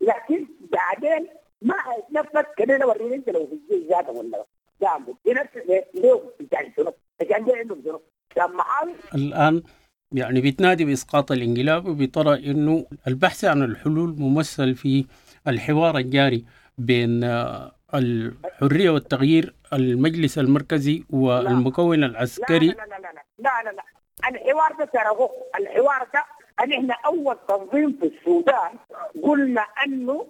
C: لكن بعدين ما هيتنفذ كده. وريني أنت لو في الجيش ذاته ولا دعمه ينفذ ليه بتاع شنو؟ عشان ده عندهم شنو؟
B: الآن يعني بتنادي بإسقاط الانقلاب وبترى إنه البحث عن الحلول ممثل في الحوار الجاري بين الحرية والتغيير، المجلس المركزي والمكون العسكري.
C: لا لا لا لا لا لا, لا. الحوار ده ترى الحوار ده أن إحنا أول تنظيم في السودان قلنا أنه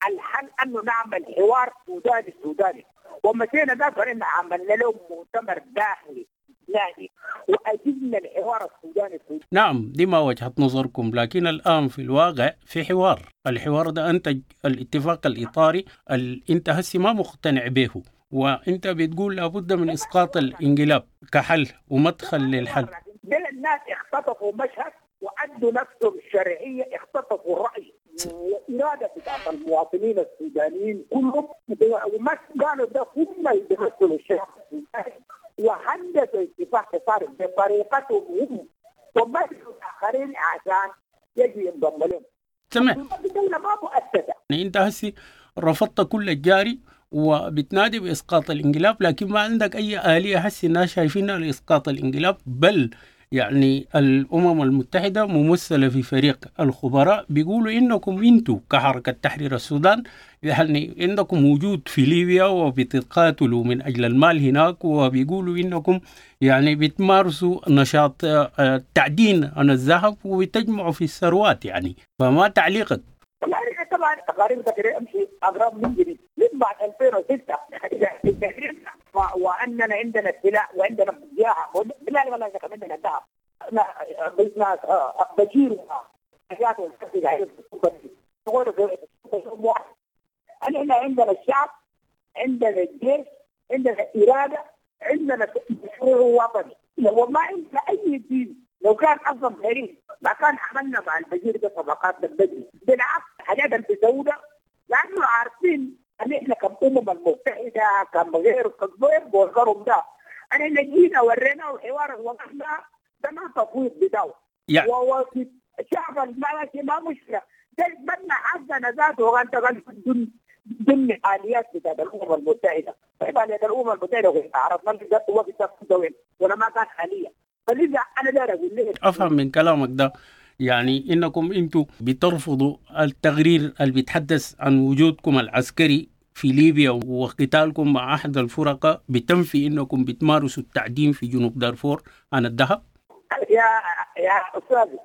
C: الحل أنه نعمل حوار سوداني سوداني، ومشينا ده فإحنا عملنا لهم مؤتمر داخلي نادي وأجبنا الحوار السوداني السوداني.
B: نعم دي ما وجهة نظركم، لكن الآن في الواقع في حوار، الحوار ده أنتج الاتفاق الإطاري اللي أنت هسي ما مقتنع به، وأنت بتقول لابد من إسقاط الانقلاب كحل ومدخل للحل.
C: ده الناس اختطفوا مشهد وأدوا نفسهم الشرعية، اختطفوا الرأي وإرادة بتاعت المواطنين السودانيين كلهم، وما قالوا ده هم اللي بيمثلوا الشعب السوداني، وهندسوا اتفاق إطاري بطريقتهم هم ومثلوا الآخرين عشان يجي ينضم لهم.
B: تمام.
C: الدولة ما مؤسسة.
B: يعني أنت هسي رفضت كل الجاري وبتنادي بإسقاط الانقلاب، لكن ما عندك أي آلية هسي الناس شايفينها لإسقاط الانقلاب، بل يعني الأمم المتحدة ممثلة في فريق الخبراء بيقولوا إنكم أنتوا كحركة تحرير السودان يعني عندكم وجود في ليبيا وبتتقاتلوا من أجل المال هناك، وبيقولوا إنكم يعني بتمارسوا نشاط تعدين عن الذهب وبتجمعوا في الثروات، يعني فما تعليقك؟
C: والله طبعا تقارير تقرير امشي اغرب من جديد من بعد ألفين وستة واننا عندنا سلاح وعندنا بجاحه بالله والله عندنا ذهب ناس بشير حاجات احنا عندنا الشعب، عندنا الجيش، عندنا اراده، عندنا مشروع وطني. لو ما عندنا اي دين، لو كان اصلا غريب ما كان عملنا مع البشير ده صفقات بدري. بالعكس حاجات البسودة لانه عارفين ان احنا كأمم المتحدة كم غير كغير بوزرهم ده، انا جينا ورينا وحوار وقفنا ده ما تفويض بتاعه
B: يعني.
C: وفي الشعب الملكي ما مشكلة ده بنى حقنا ذاته وانت ضمن اليات بتاعت الامم المتحدة. طيب اليات الامم المتحدة عرفنا ده وقت وين ولا ما كان حاليا. فلذا انا داير اقول لك
B: افهم من كلامك ده يعني انكم انتم بترفضوا التقرير اللي بيتحدث عن وجودكم العسكري في ليبيا وقتالكم مع احد الفرقاء، بتنفي انكم بتمارسوا التعدين في جنوب دارفور عن الذهب؟
C: يا يا استاذ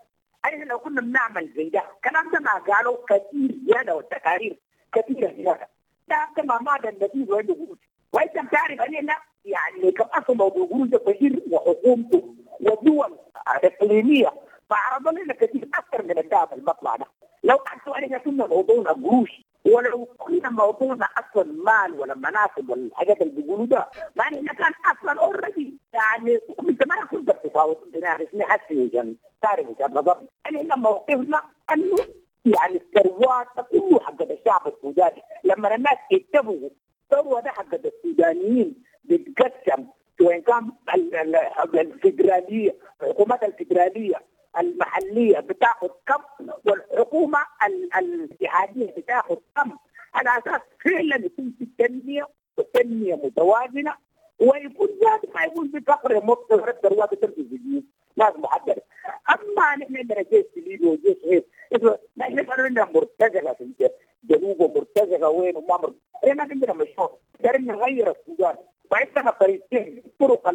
C: احنا لو كنا بنعمل زي ده الكلام ده ما قالوا كثير زيادة والتقارير كثيرة زيادة ده كما ما النتيجة وعنده قروش، وانت بتعرف اننا يعني كم اصلا موضوع قروش بشير وحكومته ودول اقليمية فعرضوا لنا كثير اكثر من الذهب المطلع ده. لو اصلا احنا كنا موضوعنا قروش ولو كنا موضوعنا اصلا مال ولا مناصب ولا الحاجات اللي بيقولوا ده، ما احنا كان اصلا اوريدي يعني انت ما كنت بتفاوض بنعرف نحسي عشان تعرف وجهه نظرنا. احنا موقفنا انه يعني الثروات كله حق الشعب السوداني، لما الناس يتفقوا الثروة ده حق السودانيين بتقسم وان كان الفدرالية الحكومات الفدرالية المحلية بتاخذ كم والحكومة الاتحادية بتاخذ كم، على اساس فعلا يكون في التنمية والتنمية متوازنة ويكون ذات ما يكون في فقر مطلق الثروات تمشي في ناس محددة. اما نحن عندنا جيش في ليبيا وجيش غير، نحن كانوا عندنا مرتزقة في الجنوب ومرتزقه وين وما مرتزقة، احنا عندنا مشروع دارين نغير السودان وعندنا طريقتين الطرق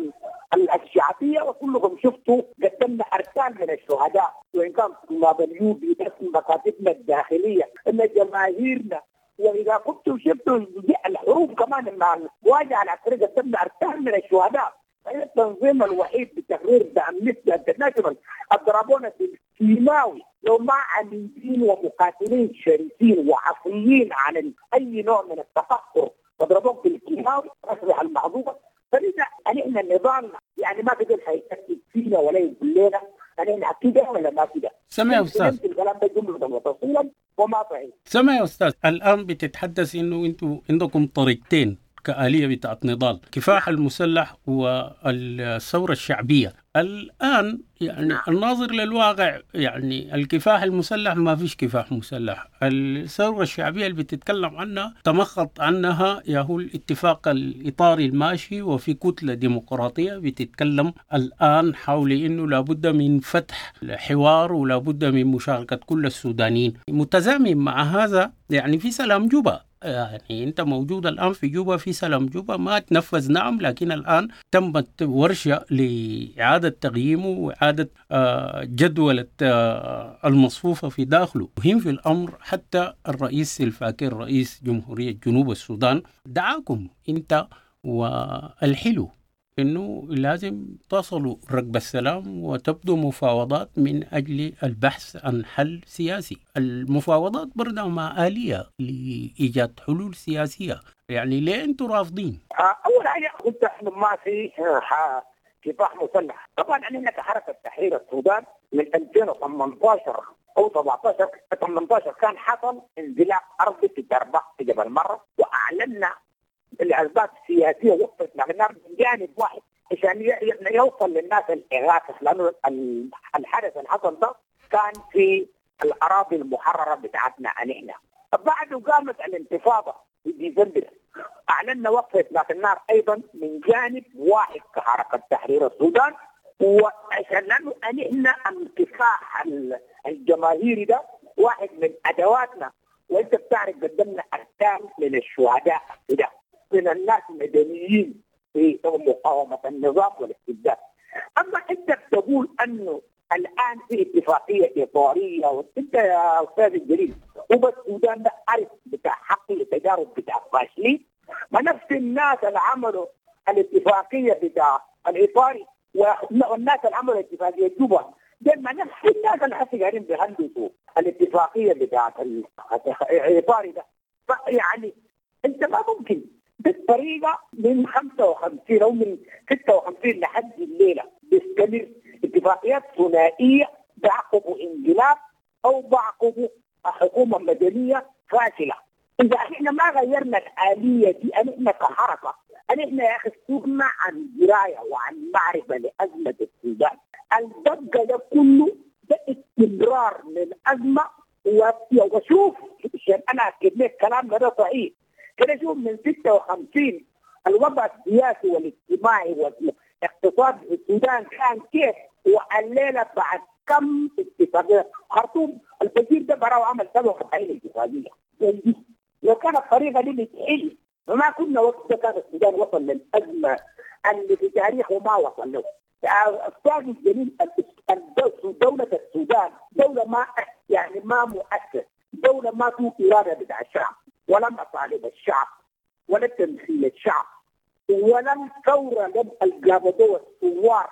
C: الشعبية وكلكم شفتوا قدمنا اركان من الشهداء وان كان طلاب اليوبي بس مكاتبنا الداخلية ان جماهيرنا، واذا كنتوا شفتوا الحروب كمان مع المواجهة العسكرية قدمنا اركان من الشهداء. التنظيم الوحيد بتغيير امنستي انترناشونال اضربونا بالكيماوي لو ما عنيدين ومقاتلين شرسين وعصيين عن اي نوع من التفكر اضربوك بالكيماوي اصبح المعذوبه. فلذا احنا النظام يعني ما في حيتاكد فينا ولا يقول لنا احنا كده ولا ما كده.
B: سمع يا استاذ
C: الكلام ده جملة وتفصيلا وما صحيح.
B: سمع يا استاذ، الان بتتحدث انه انتم عندكم طريقتين كآلية بتاعت نضال، كفاح المسلح والثورة الشعبية. الآن يعني الناظر للواقع يعني الكفاح المسلح ما فيش كفاح مسلح. الثورة الشعبية اللي بتتكلم عنها تمخض عنها ياهو الاتفاق الإطاري الماشي، وفي كتلة ديمقراطية بتتكلم الآن حول إنه لابد من فتح حوار ولابد من مشاركة كل السودانيين. متزامن مع هذا يعني في سلام جوبا، يعني أنت موجود الآن في جوبا في سلام جوبا ما تنفذ نعم، لكن الآن تمت ورشة لإعادة تقييمه وإعادة جدولة المصفوفة في داخله. مهم في الأمر حتى الرئيس سلفاكير رئيس جمهورية جنوب السودان دعاكم أنت والحلو إنه لازم تصلوا ركب السلام وتبدو مفاوضات من أجل البحث عن حل سياسي. المفاوضات برضه مع آلية لإيجاد حلول سياسية، يعني ليه أنتم رافضين؟
C: أول حاجة قلت إنه ما في كفاح مسلح. طبعا إحنا كحركة تحرير السودان من ألفين وثمانية عشر أو سبعة عشر ثمانية عشر كان حصل انزلاق أرضي في دربة في جبل مرة، وأعلنا الأسباب السياسية وقفت النار من جانب واحد عشان يوصل للناس الإغاثة، لأنه الحدث اللي حصل ده كان في الأراضي المحررة بتاعتنا نحن. بعده قامت الانتفاضة في ديسمبر، أعلنا وقف إطلاق النار أيضا من جانب واحد كحركة تحرير السودان، وعشان لأنه نحن الكفاح الجماهيري ده واحد من أدواتنا، وأنت بتعرف قدمنا أرقام من الشهداء ده من الناس المدنيين في مقاومة النظام والاستبداد. أما أنت بتقول أنه الآن في اتفاقية إطارية، وأنت يا أستاذ الجليل هو السودان ده عارف بتاع حقل تجارب بتاع فاشلين، ما نفس الناس اللي عملوا الاتفاقية بتاع الإطاري والناس اللي عملوا اتفاقية جوبا ده ما نفس الناس اللي حسي قاعدين بيهندسوا الاتفاقية بتاعت الإطاري ده. فيعني أنت ما ممكن بالطريقة من خمسة وخمسين أو من ستة وخمسين لحد الليلة بيستمر اتفاقيات ثنائية بعقبوا انقلاب أو بعقبوا حكومة مدنية فاشلة. إذا إحنا ما غيرنا الآلية دي، إحنا كحركة إحنا يا أخي استغنى عن دراية وعن معرفة لأزمة السودان. الضجة ده كله ده استمرار للأزمة. وشوف عشان أنا أكد لك كلام ده صحيح كده، شوف من ستة وخمسين الوضع السياسي والاجتماعي والاقتصادي في السودان كان كيف، والليلة بعد كم اتفاقية خرطوم البشير ده براو عمل سبعة وأربعين اتفاقية. لو كانت الطريقة دي بتحل فما كنا وقت كان السودان وصل للأزمة اللي في تاريخه ما وصل له. أستاذ الجليل دولة السودان دولة ما يعني ما مؤسس، دولة ما فيه إرادة بتاع الشعب ولا مطالب الشعب ولا تمثيل الشعب ولا الثورة لم الجابدوة الثوار.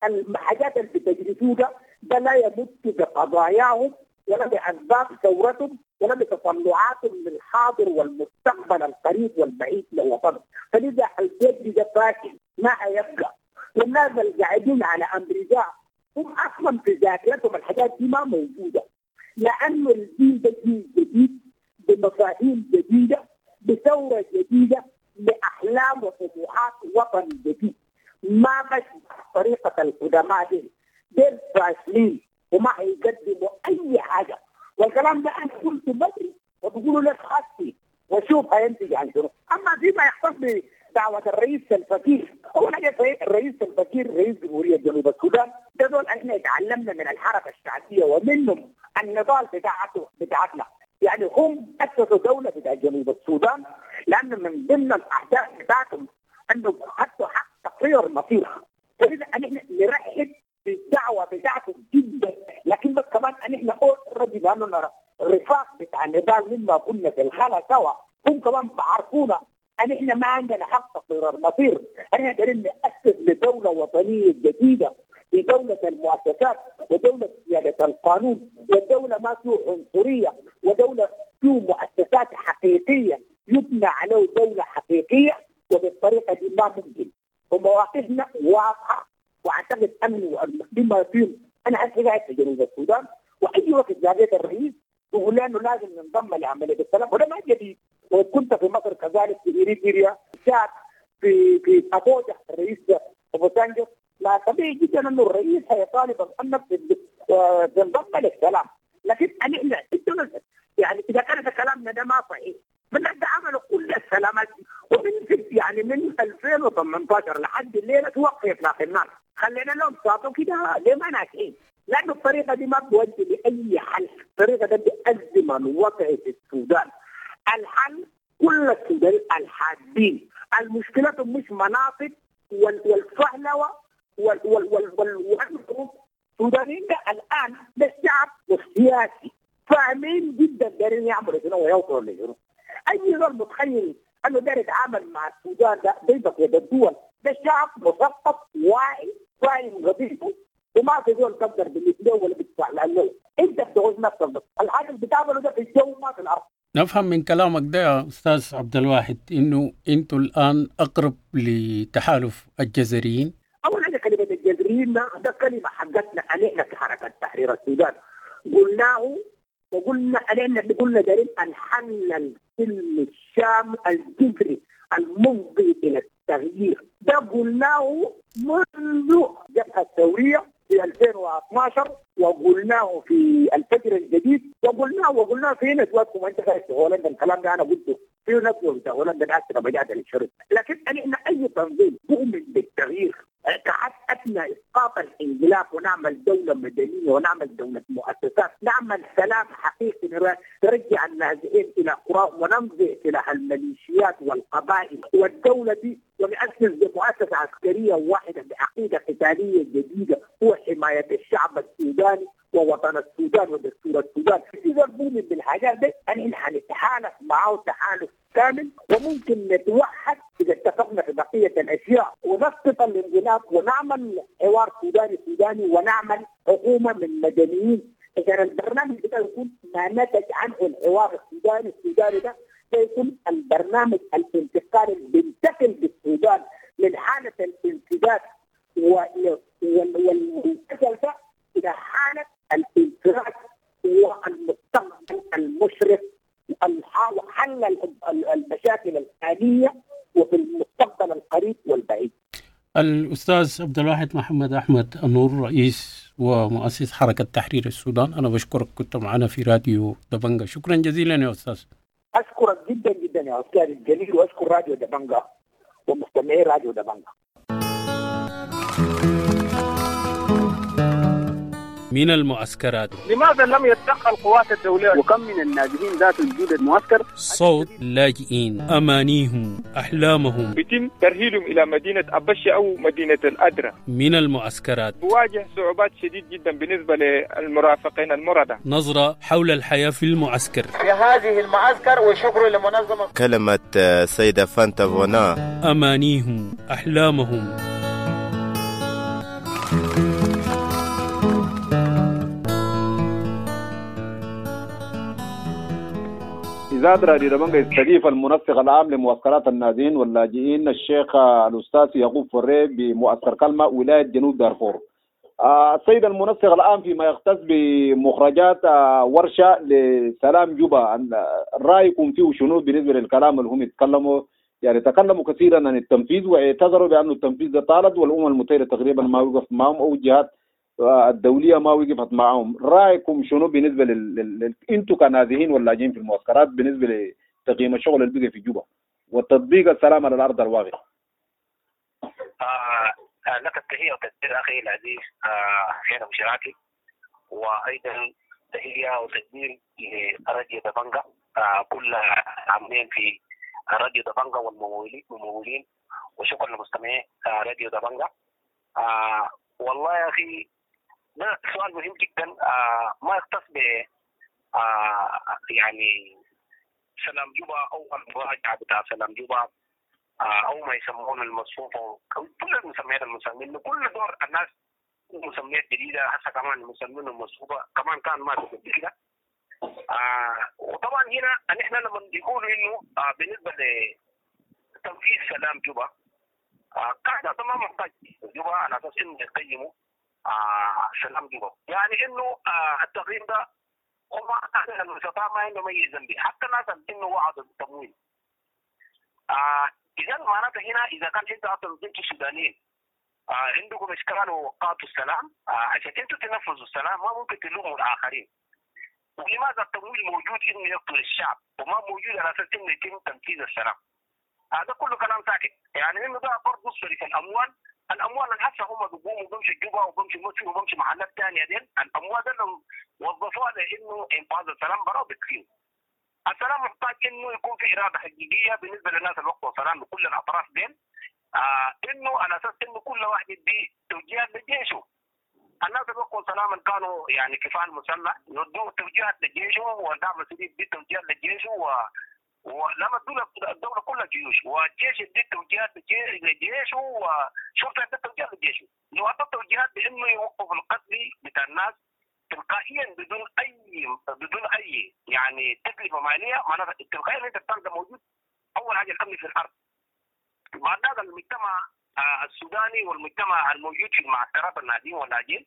C: الحاجات اللي بتجري ده ده لا يمت بقضاياهم ولا بأسباب ثورتهم ولا بتطلعاتهم للحاضر والمستقبل القريب والبعيد لوطنهم. فلذا الجد ده فاشل ما هيبقى. والناس اللي قاعدين على أمريكا هم أصلا في ذاكرتهم الحاجات دي ما موجودة، لأنه الجيل ده جيل جديد بمفاهيم جديدة بثورة جديدة بأحلام وطموحات وطن جديد، ما مش طريقة القدماء دي. دول فاشلين وما هيقدموا أي حاجة. والكلام ده أنا قلت بدري وبقولوا لك خاصي وشوف هينتج عن شنو. أما فيما يختص بدعوة الرئيس سلفاكير، أول حاجة الرئيس سلفاكير رئيس جمهورية جنوب السودان ده دول احنا اتعلمنا من الحركة الشعبية ومنهم النضال بتاعته بتاعتنا. يعني هم أسسوا دولة بتاع جنوب السودان لأن من ضمن الأهداف بتاعتهم أنه حطوا حق تقرير المصير. فإذا احنا نرحب بالدعوة بتاعتهم جدا، لكن بس كمان احنا اوريدي لأننا الرفاق بتاع النضال مما كنا في الخلا سوا هم كمان بعرفونا أن احنا ما عندنا حق تقرير المصير. احنا قاعدين نأسس لدولة وطنية جديدة في دولة المؤسسات ودولة سيادة القانون ودولة ما فيه عنصرية ودولة فيه مؤسسات حقيقية يبنى عليه دولة حقيقية. وبالطريقة دي ما ممكن. ومواقفنا واضحة، وأعتقد أنه بما فيه أنا هسه قاعد في جنوب السودان وأي وقت جابت الرئيس بقول له أنه لازم ننضم لعملية السلام، وده ما جديد. وكنت في مصر كذلك، في إريتريا، في في في أبوجا الرئيس أبو سانجو. ما طبيعي جدا انه الرئيس هيطالب انك تنضم للسلام، لكن احنا يعني اذا كان كلامنا ده ما صحيح من عملوا كل السلامات ومن يعني من ألفين وثمانية عشر لحد الليلة توقف اطلاق النار، خلينا لهم صاتوا كده ليه ما ناجحين؟ لانه الطريقة دي ما بتودي لاي حل، الطريقة دي بتأزم الوضع في السودان. الحل كل السودانيين الحادين، المشكلة مش مناطق والفهلوه وال وال وال وال السودانيين ده الان ده الشعب والسياسي فاهمين جدا دايرين يعملوا شنو ويوصلوا لشنو. اي زول متخيل انه داير يتعامل مع السودان ده زي بقية الدول، ده شعب مثقف واعي فاهم قضيته، وما في زول تقدر بالله ولا بتدفع لانه انت بتعوز نفسك بس، الحاجة اللي بتعمله ده في الجو ما في الارض.
B: نفهم من كلامك ده يا استاذ عبد الواحد انه انتوا الان اقرب لتحالف الجزريين.
C: اول حاجة كلمة الجزريين ده, ده كلمة حقتنا علينا في حركة تحرير السودان، قلناه وقلنا علينا قلنا دارين الحل السلم الشامل الجذري المفضي الى التغيير، ده قلناه منذ الجبهة الثورية في ألفين واثني عشر، وقلناه في الفجر الجديد، وقلناه وقلناه في ندواتكم وانت قاعد في هولندا. الكلام ده انا قلته في ندوه في هولندا العاشرة بجاد الشرط. لكن احنا اي تنظيم مؤمن بالتغيير كحد ادنى اسقاط الانقلاب ونعمل دولة مدنية ونعمل دولة مؤسسات، نعمل سلام حقيقي نرجع النازحين الى قراهم ونمضي سلاح الميليشيات والقبائل والدولة دي، ونأسس بمؤسسه عسكرية واحدة بعقيدة قتالية جديدة هو حماية الشعب السوداني ووطن السودان ودستور السودان. اذا مؤمن بالحاجات دي احنا حنتحالف معه تحالف كامل، وممكن نتوحد اذا اتفقنا في بقية الاشياء ونسقط الانقلاب ونعمل حوار سوداني سوداني ونعمل حكومة من مدنيين. اذا البرنامج ده يكون ما نتج عنه الحوار السوداني السوداني ده سيكون البرنامج الانتقالي اللي بينتقل بالسودان من حاله الانسداد والفشل ده الى حاله الانفراج والمستقبل المشرق وحل المشاكل الحالية وفي المستقبل القريب والبعيد.
B: الأستاذ عبد الواحد محمد أحمد النور، رئيس ومؤسس حركة تحرير السودان، أنا بشكرك كنت معنا في راديو دبنجة. شكرا جزيلا يا أستاذ.
C: أشكرك جدا جدا يا أستاذ الجليل، وأشكر راديو دبنجة ومستمعي راديو دبنجة.
B: من المعسكرات،
N: لماذا لم يتدخل القوات الدولية؟ وكم من النازحين ذات وجود المعسكر؟
B: صوت لاجئين، أمانيهم، أحلامهم،
N: يتم ترحيلهم إلى مدينة أبشة أو مدينة الأدرة.
B: من المعسكرات
N: تواجه صعوبات شديد جدا بالنسبة للمرافقين المرضى.
B: نظرة حول الحياة في المعسكر،
O: في هذه المعسكر، وشكر لمنظمة.
P: كلمة سيدة فانتا فونا،
B: أمانيهم، أحلامهم.
Q: إذاعة راديو دبنجة يستضيف المنسق العام لمعسكرات النازحين واللاجئين الشيخ الأستاذ يعقوب فري بمعسكر كلمة ولاية جنوب دارفور. السيد المنسق العام فيما يختص بمخرجات ورشة لسلام جوبا، رأيكم فيه شنو بالنسبة للكلام اللي هم يتكلموا؟ يعني تكلموا كثيرا عن التنفيذ واعتذروا بأن التنفيذ طالت والأمم المتحدة تقريبا ما وقف معهم أو الجهات الدولية ما وقفت معهم. رأيكم شنو بالنسبة لل... لل... انتم كنازحين واللاجئين في المعسكرات بالنسبة لتقييم الشغل اللي بقى في جوبا وتطبيق السلام على الأرض الواقع؟
J: آه لك التحية والتقدير أخي العزيز حسين آه أبو شراكي، وأيضا تحية وتقدير لراديو دبنجة، آه كل عاملين في راديو دبنجة والممولين، وشكرا لمستمعي آه راديو دبنجة. آه والله يا أخي ده سؤال مهم جدا، آه ما يختص ب آه يعني سلام جوبا او المراجعة بتاع سلام جوبا آه او ما يسمونه المصفوفه، كل المسميات المسمين كل دور الناس مسميات جديدة، هسه كمان مسمينه المصفوفه كمان كان ما قبل كده. آه وطبعا هنا نحن لما يقولوا انه آه بالنسبة لتنفيذ سلام جوبا آه قاعدة ما محتاج جوبا على اساس انه يقيموا آه سلام جوبا، يعني انه آه التقييم ده هم المستطاع ما عندهم اي ذنب، حتى الناس انه وعدوا بالتمويل. آه اذا معناته هنا اذا كان انت اصلا ضد السودانيين آه عندكم اشكال ووقعتوا السلام، آه عشان انتوا تنفذوا السلام ما ممكن تلوموا الاخرين. ولماذا التمويل موجود انه يقتل الشعب وما موجود على اساس انه يتم تنفيذ السلام؟ هذا كله كلام ساكت، يعني انه ده برضه صرف الاموال، الاموال اللي هسه هم بيقوموا بيمشوا جوبا وبيمشوا مصر وبيمشوا محلات ثانية دي، الاموال دي لو وظفوها لانه انفاذ السلام برا بكفيه. السلام محتاج انه يكون في اراده حقيقية بالنسبة للناس اللي وقعوا سلام بكل الاطراف دين، آه انه على اساس انه كل واحد يدي توجيهات لجيشه. الناس اللي وقعوا سلاما كانوا يعني كفاح مسلح يدوا توجيهات لجيشه، والدعم السريع يدي توجيهات لجيشه، و ولما الدولة الدولة كلها جيوش، والجيش يدي توجيهات لجيشه، وشرطة يدي توجيهات لجيشه. لو أعطى توجيهات بانه يوقف القتل بتاع الناس تلقائيا بدون اي بدون اي يعني تكلفة ماليه، معناتها تلقائيا انت بتلقى موجود اول حاجة الامن في الارض. بعد هذا المجتمع السوداني والمجتمع الموجود في المعسكرات الناجين واللاجئين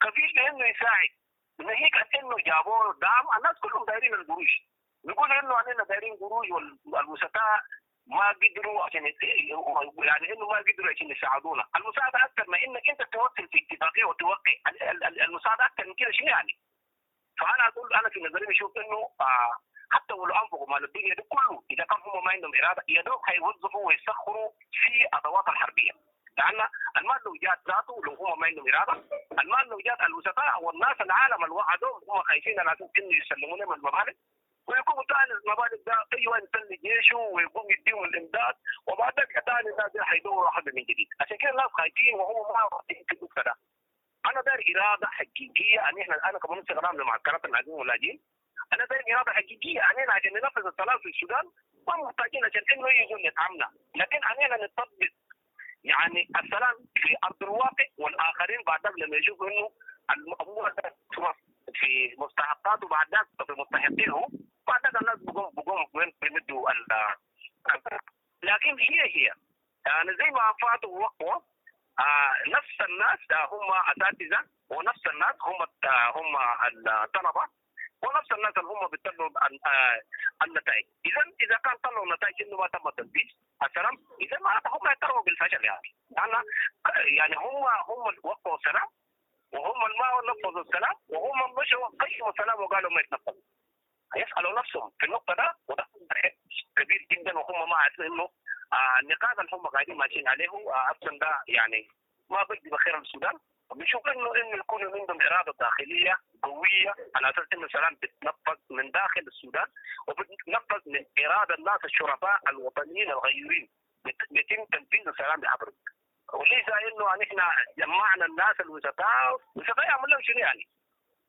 J: كفيل بانه يساعد، ناهيك عن انه جابوا دعم، الناس كلهم دايرين القروش، بيقولوا انه علينا دايرين قروش والوسطاء ما قدروا عشان يعني انه ما قدروا عشان يساعدونا، المساعدة اكثر ما انك انت توصل في اتفاقية وتوقع، المساعدة اكثر من كده شنو يعني؟ فانا اقول انا في نظري بشوف انه آه حتى ولو انفقوا مال الدنيا ده كله اذا كان هم ما عندهم اراده يا دوب حيوظفوا ويسخروا في ادوات الحربية، لان المال لو جات ذاته لو هم ما عندهم اراده، المال لو جات الوسطاء والناس العالم اللي وعدوهم هم خايفين على اساس انه يسلموا لهم المبالغ، ويقوموا ثاني المبالغ ده ايوه يسلم جيشه ويقوم يديهم الامداد، وبعد ذلك ثاني الناس حيدوروا حد من جديد، عشان كده الناس خايفين وهم ما واثقين في النقطة ده. انا داير اراده حقيقية ان احنا انا كمنسق عام لمعسكرات الناجين واللاجئين، انا داير اراده حقيقية علينا عشان ننفذ السلام في السودان، ما محتاجين عشان انه يجوا يدعمنا، لكن علينا نطبق يعني السلام في ارض الواقع، والاخرين بعد ذلك لما يشوفوا انه الامور في مستحقاته بعد ذلك في مستحقينه، بعد ذلك الناس بقوم بقوم بيمدوا ال لكن هي هي يعني زي ما فاتوا ووقعوا آه نفس الناس هم اساتذة، ونفس الناس هم هم الطلبة، ونفس الناس اللي هم بيطلعوا النتائج. اذا اذا كان طلعوا النتائج انه ما تم تنفيذ السلام، اذا ما هم يعترفوا بالفشل يعني، لان يعني هم هم اللي وقعوا السلام وهم اللي ما نفذوا السلام وهم مشوا قيموا السلام وقالوا ما يتنفذوا. يسالوا نفسهم في النقطة ده، وده كبير جدا، وهم ما عارفين انه النقاط اللي هم قاعدين ماشيين عليه اصلا ده يعني ما بيجي بخير للسودان. بنشوف انه انه يكون عندهم اراده داخلية قوية على اساس انه السلام بيتنفذ من داخل السودان وبتنفذ من اراده الناس الشرفاء الوطنيين الغيورين، بيتم تنفيذ السلام بعبره، وليس انه نحن جمعنا الناس الوسطاء، الوسطاء يعمل لهم شنو يعني؟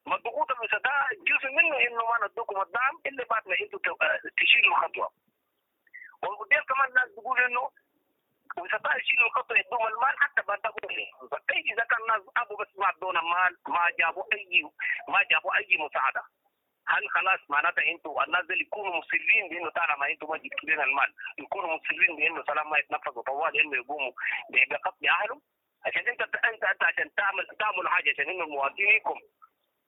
J: ما الضغوط الوسطاء جزء منه انه ما ندوكم الدعم الا بعد ما انتم تشيلوا الخطوة. وقدام كمان الناس بيقولوا انه وسطاء يشيلوا الخطوة يدوهم المال حتى بعد طيب اذا كان الناس ابوا بس ما ادونا مال، ما جابوا اي ما جابوا اي مساعدة، هل خلاص معناتها انتوا الناس اللي يكونوا مصرين بانه طالما انتوا ما جبتوا لنا المال يكونوا مصرين بانه سلام ما يتنفذ وطوال انه يقوموا بقتل اهلهم؟ عشان انت انت انت عشان تعمل تعمل حاجة عشان انه مواطنيكم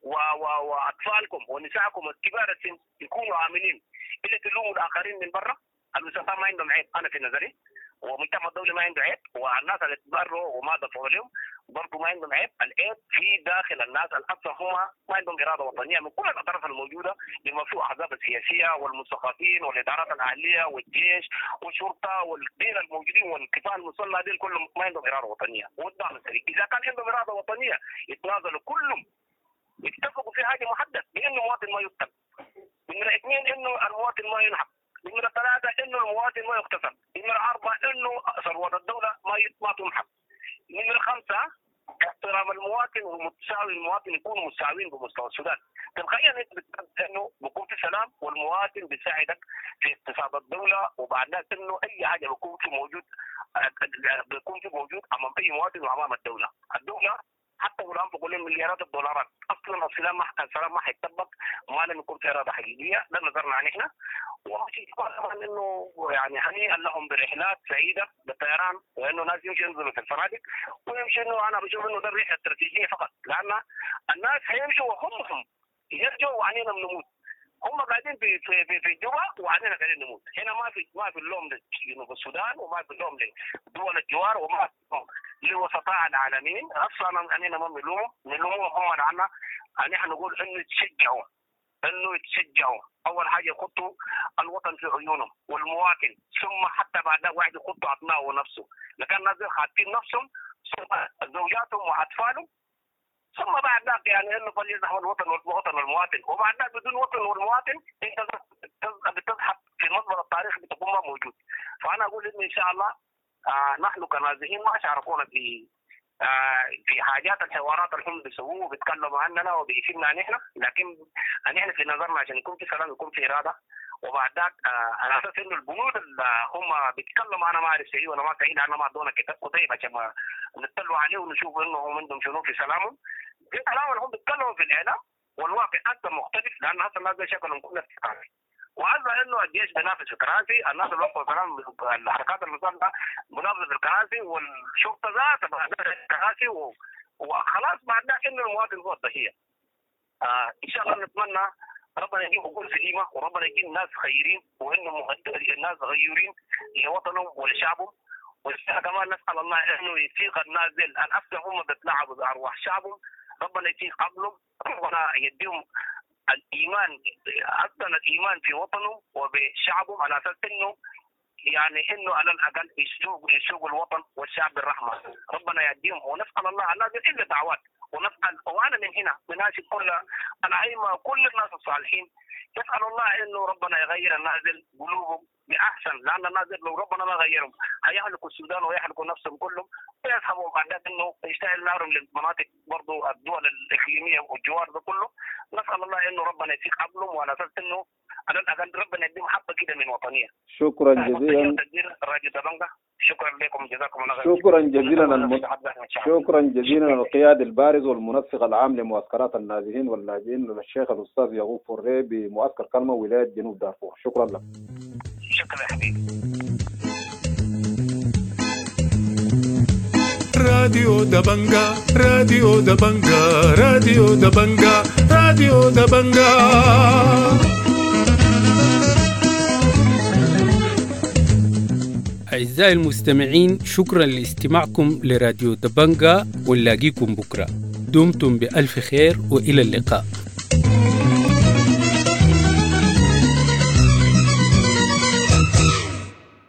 J: و و واطفالكم ونسائكم الكبار السن يكونوا امنين، الا تلوموا الاخرين من برا. الوسطاء ما عندهم عيب انا في نظري، ومجتمع الدولي ما عنده عيب، والناس اللي تبروا وما دفعوا لهم برضه ما عندهم عيب، العيب في داخل الناس الاكثر هم ما عندهم اراده وطنية من كل الاطراف الموجودة بما فيه الاحزاب السياسية والمثقفين والادارات الاهلية والجيش والشرطة والدين الموجودين والكفاح المسلح ديل كلهم ما عندهم اراده وطنية، والدعم السريع اذا كان عندهم اراده وطنية يتنازلوا كلهم يتفقوا في حاجة محددة بانه المواطن ما يقتل، نمره اثنين انه المواطن ما ينحب، نمرة ثلاثة إنه المواطن ما يغتصب، نمرة أربعة إنه ثروة الدولة ما ما تنحب، نمرة خمسة احترام المواطن ومتساوي المواطن يكونوا متساويين بمستوى السودان. تلقائيا انت بتحس انه بيكون في سلام والمواطن بيساعدك في اقتصاد الدولة، وبعد ذلك انه اي حاجة بيكون في موجود بيكون في موجود امام اي مواطن وامام الدولة. الدولة حتى ولو انفقوا لهم مليارات الدولارات اصلا السلام ما السلام ما حيتطبق ما لم يكون في اراده حقيقية، ده نظرنا نحن. وشيء طبعا انه يعني هنيئا لهم برحلات سعيدة بالطيران، وانه ناس يمشوا ينزلوا في الفنادق ويمشوا، انه انا بشوف انه ده الرحلة استراتيجية فقط، لان الناس حيمشوا وهم يرجعوا وعنينا بنموت. هم قاعدين في في في, في جوبا وعلينا قاعدين نموت هنا. ما في ما في اللوم لجنوب السودان، وما في اللوم لدول الجوار، وما في اللوم لوسطاء العالمين اصلا. اننا ما بنلومهم، نلومهم هم عنا. نحن نقول انه يتشجعوا، انه يتشجعوا اول حاجة يحطوا الوطن في عيونهم والمواطن، ثم حتى بعد واحد يحطوا ابنائه ونفسه. لكن الناس خاطين نفسهم ثم زوجاتهم واطفالهم، ثم بعد ذلك يعني انه فليذهب الوطن والوطن والمواطن، وبعد ذلك بدون وطن والمواطن انت بتزحف في مزبلة التاريخ بتكون ما موجود. فانا اقول انه ان شاء الله آه نحن كنازحين ما شاركونا في آه في حاجات الحوارات اللي هم بيسووه وبيتكلموا عننا وبيفيدنا نحن، لكن نحن في نظرنا عشان يكون في سلام يكون في اراده. وبعد ذاك آه على اساس انه البنود اللي هم بيتكلموا انا ما اعرف صحيح ولا ما صحيح، لانه ما ادونا كتاب كتيب عشان ما نطلعوا عليه ونشوف انه هم عندهم شنو في سلامهم. في كلام اللي هم بيتكلموا في الاعلام والواقع اصلا مختلف، لان اصلا الناس شكلهم كلها في كراسي، وهذا انه الجيش بينافس في الكراسي، الناس اللي وقفوا كلام الحركات المسلحة منافسه في الكراسي، والشرطة ذاتها في الكراسي، وخلاص بعد ذاك انه المواطن هو الضحية. آه ان شاء الله نتمنى ربنا يجيب عقول سليمة، وربنا يجيب ناس خيرين، وانه الناس غيورين لوطنهم ولشعبهم. وكمان نسال الله انه يفيق الناس الاصل هم بيتلاعبوا بارواح شعبهم، ربنا يفيق عقلهم، ربنا يديهم الايمان، اصلا الايمان في وطنهم وبشعبهم، على اساس انه يعني انه على الاقل يسوق يسوق الوطن والشعب بالرحمة، ربنا يديهم. ونسال الله الناس الا دعوات، ونسال وانا من هنا بناشد كل الائمة وكل الناس الصالحين، نسال الله انه ربنا يغير الناس قلوبهم باحسن، لان الناس لو ربنا ما غيرهم هيهلكوا السودان ويهلكوا نفسهم كلهم، ويذهبوا بعد ذلك انه يشتعل نارهم للمناطق برضه الدول الاقليمية والجوار ده كله. نسال الله انه ربنا يفيق عقلهم، وعلى اساس انه على الاقل ربنا يديهم حبه كده من وطنية.
Q: شكرا جزيلا
J: راديو دبنجة، شكرا لكم، جزاكم الله خير.
Q: شكرا جزيلا الم... شكرا جزيلا القيادي البارز والمنسق العام لمعسكرات النازحين واللاجئين الشيخ الاستاذ يعقوب فوري بمعسكر كلمة ولاية جنوب دارفور. شكرا لك.
J: شكرا يا حبيبي.
A: راديو دبنجة، راديو دبنجة، راديو دبنجة، راديو دبنجة.
B: أعزائي المستمعين، شكرا لاستماعكم لراديو دبنجة، ونلاقيكم بكرة. دمتم بألف خير وإلى اللقاء.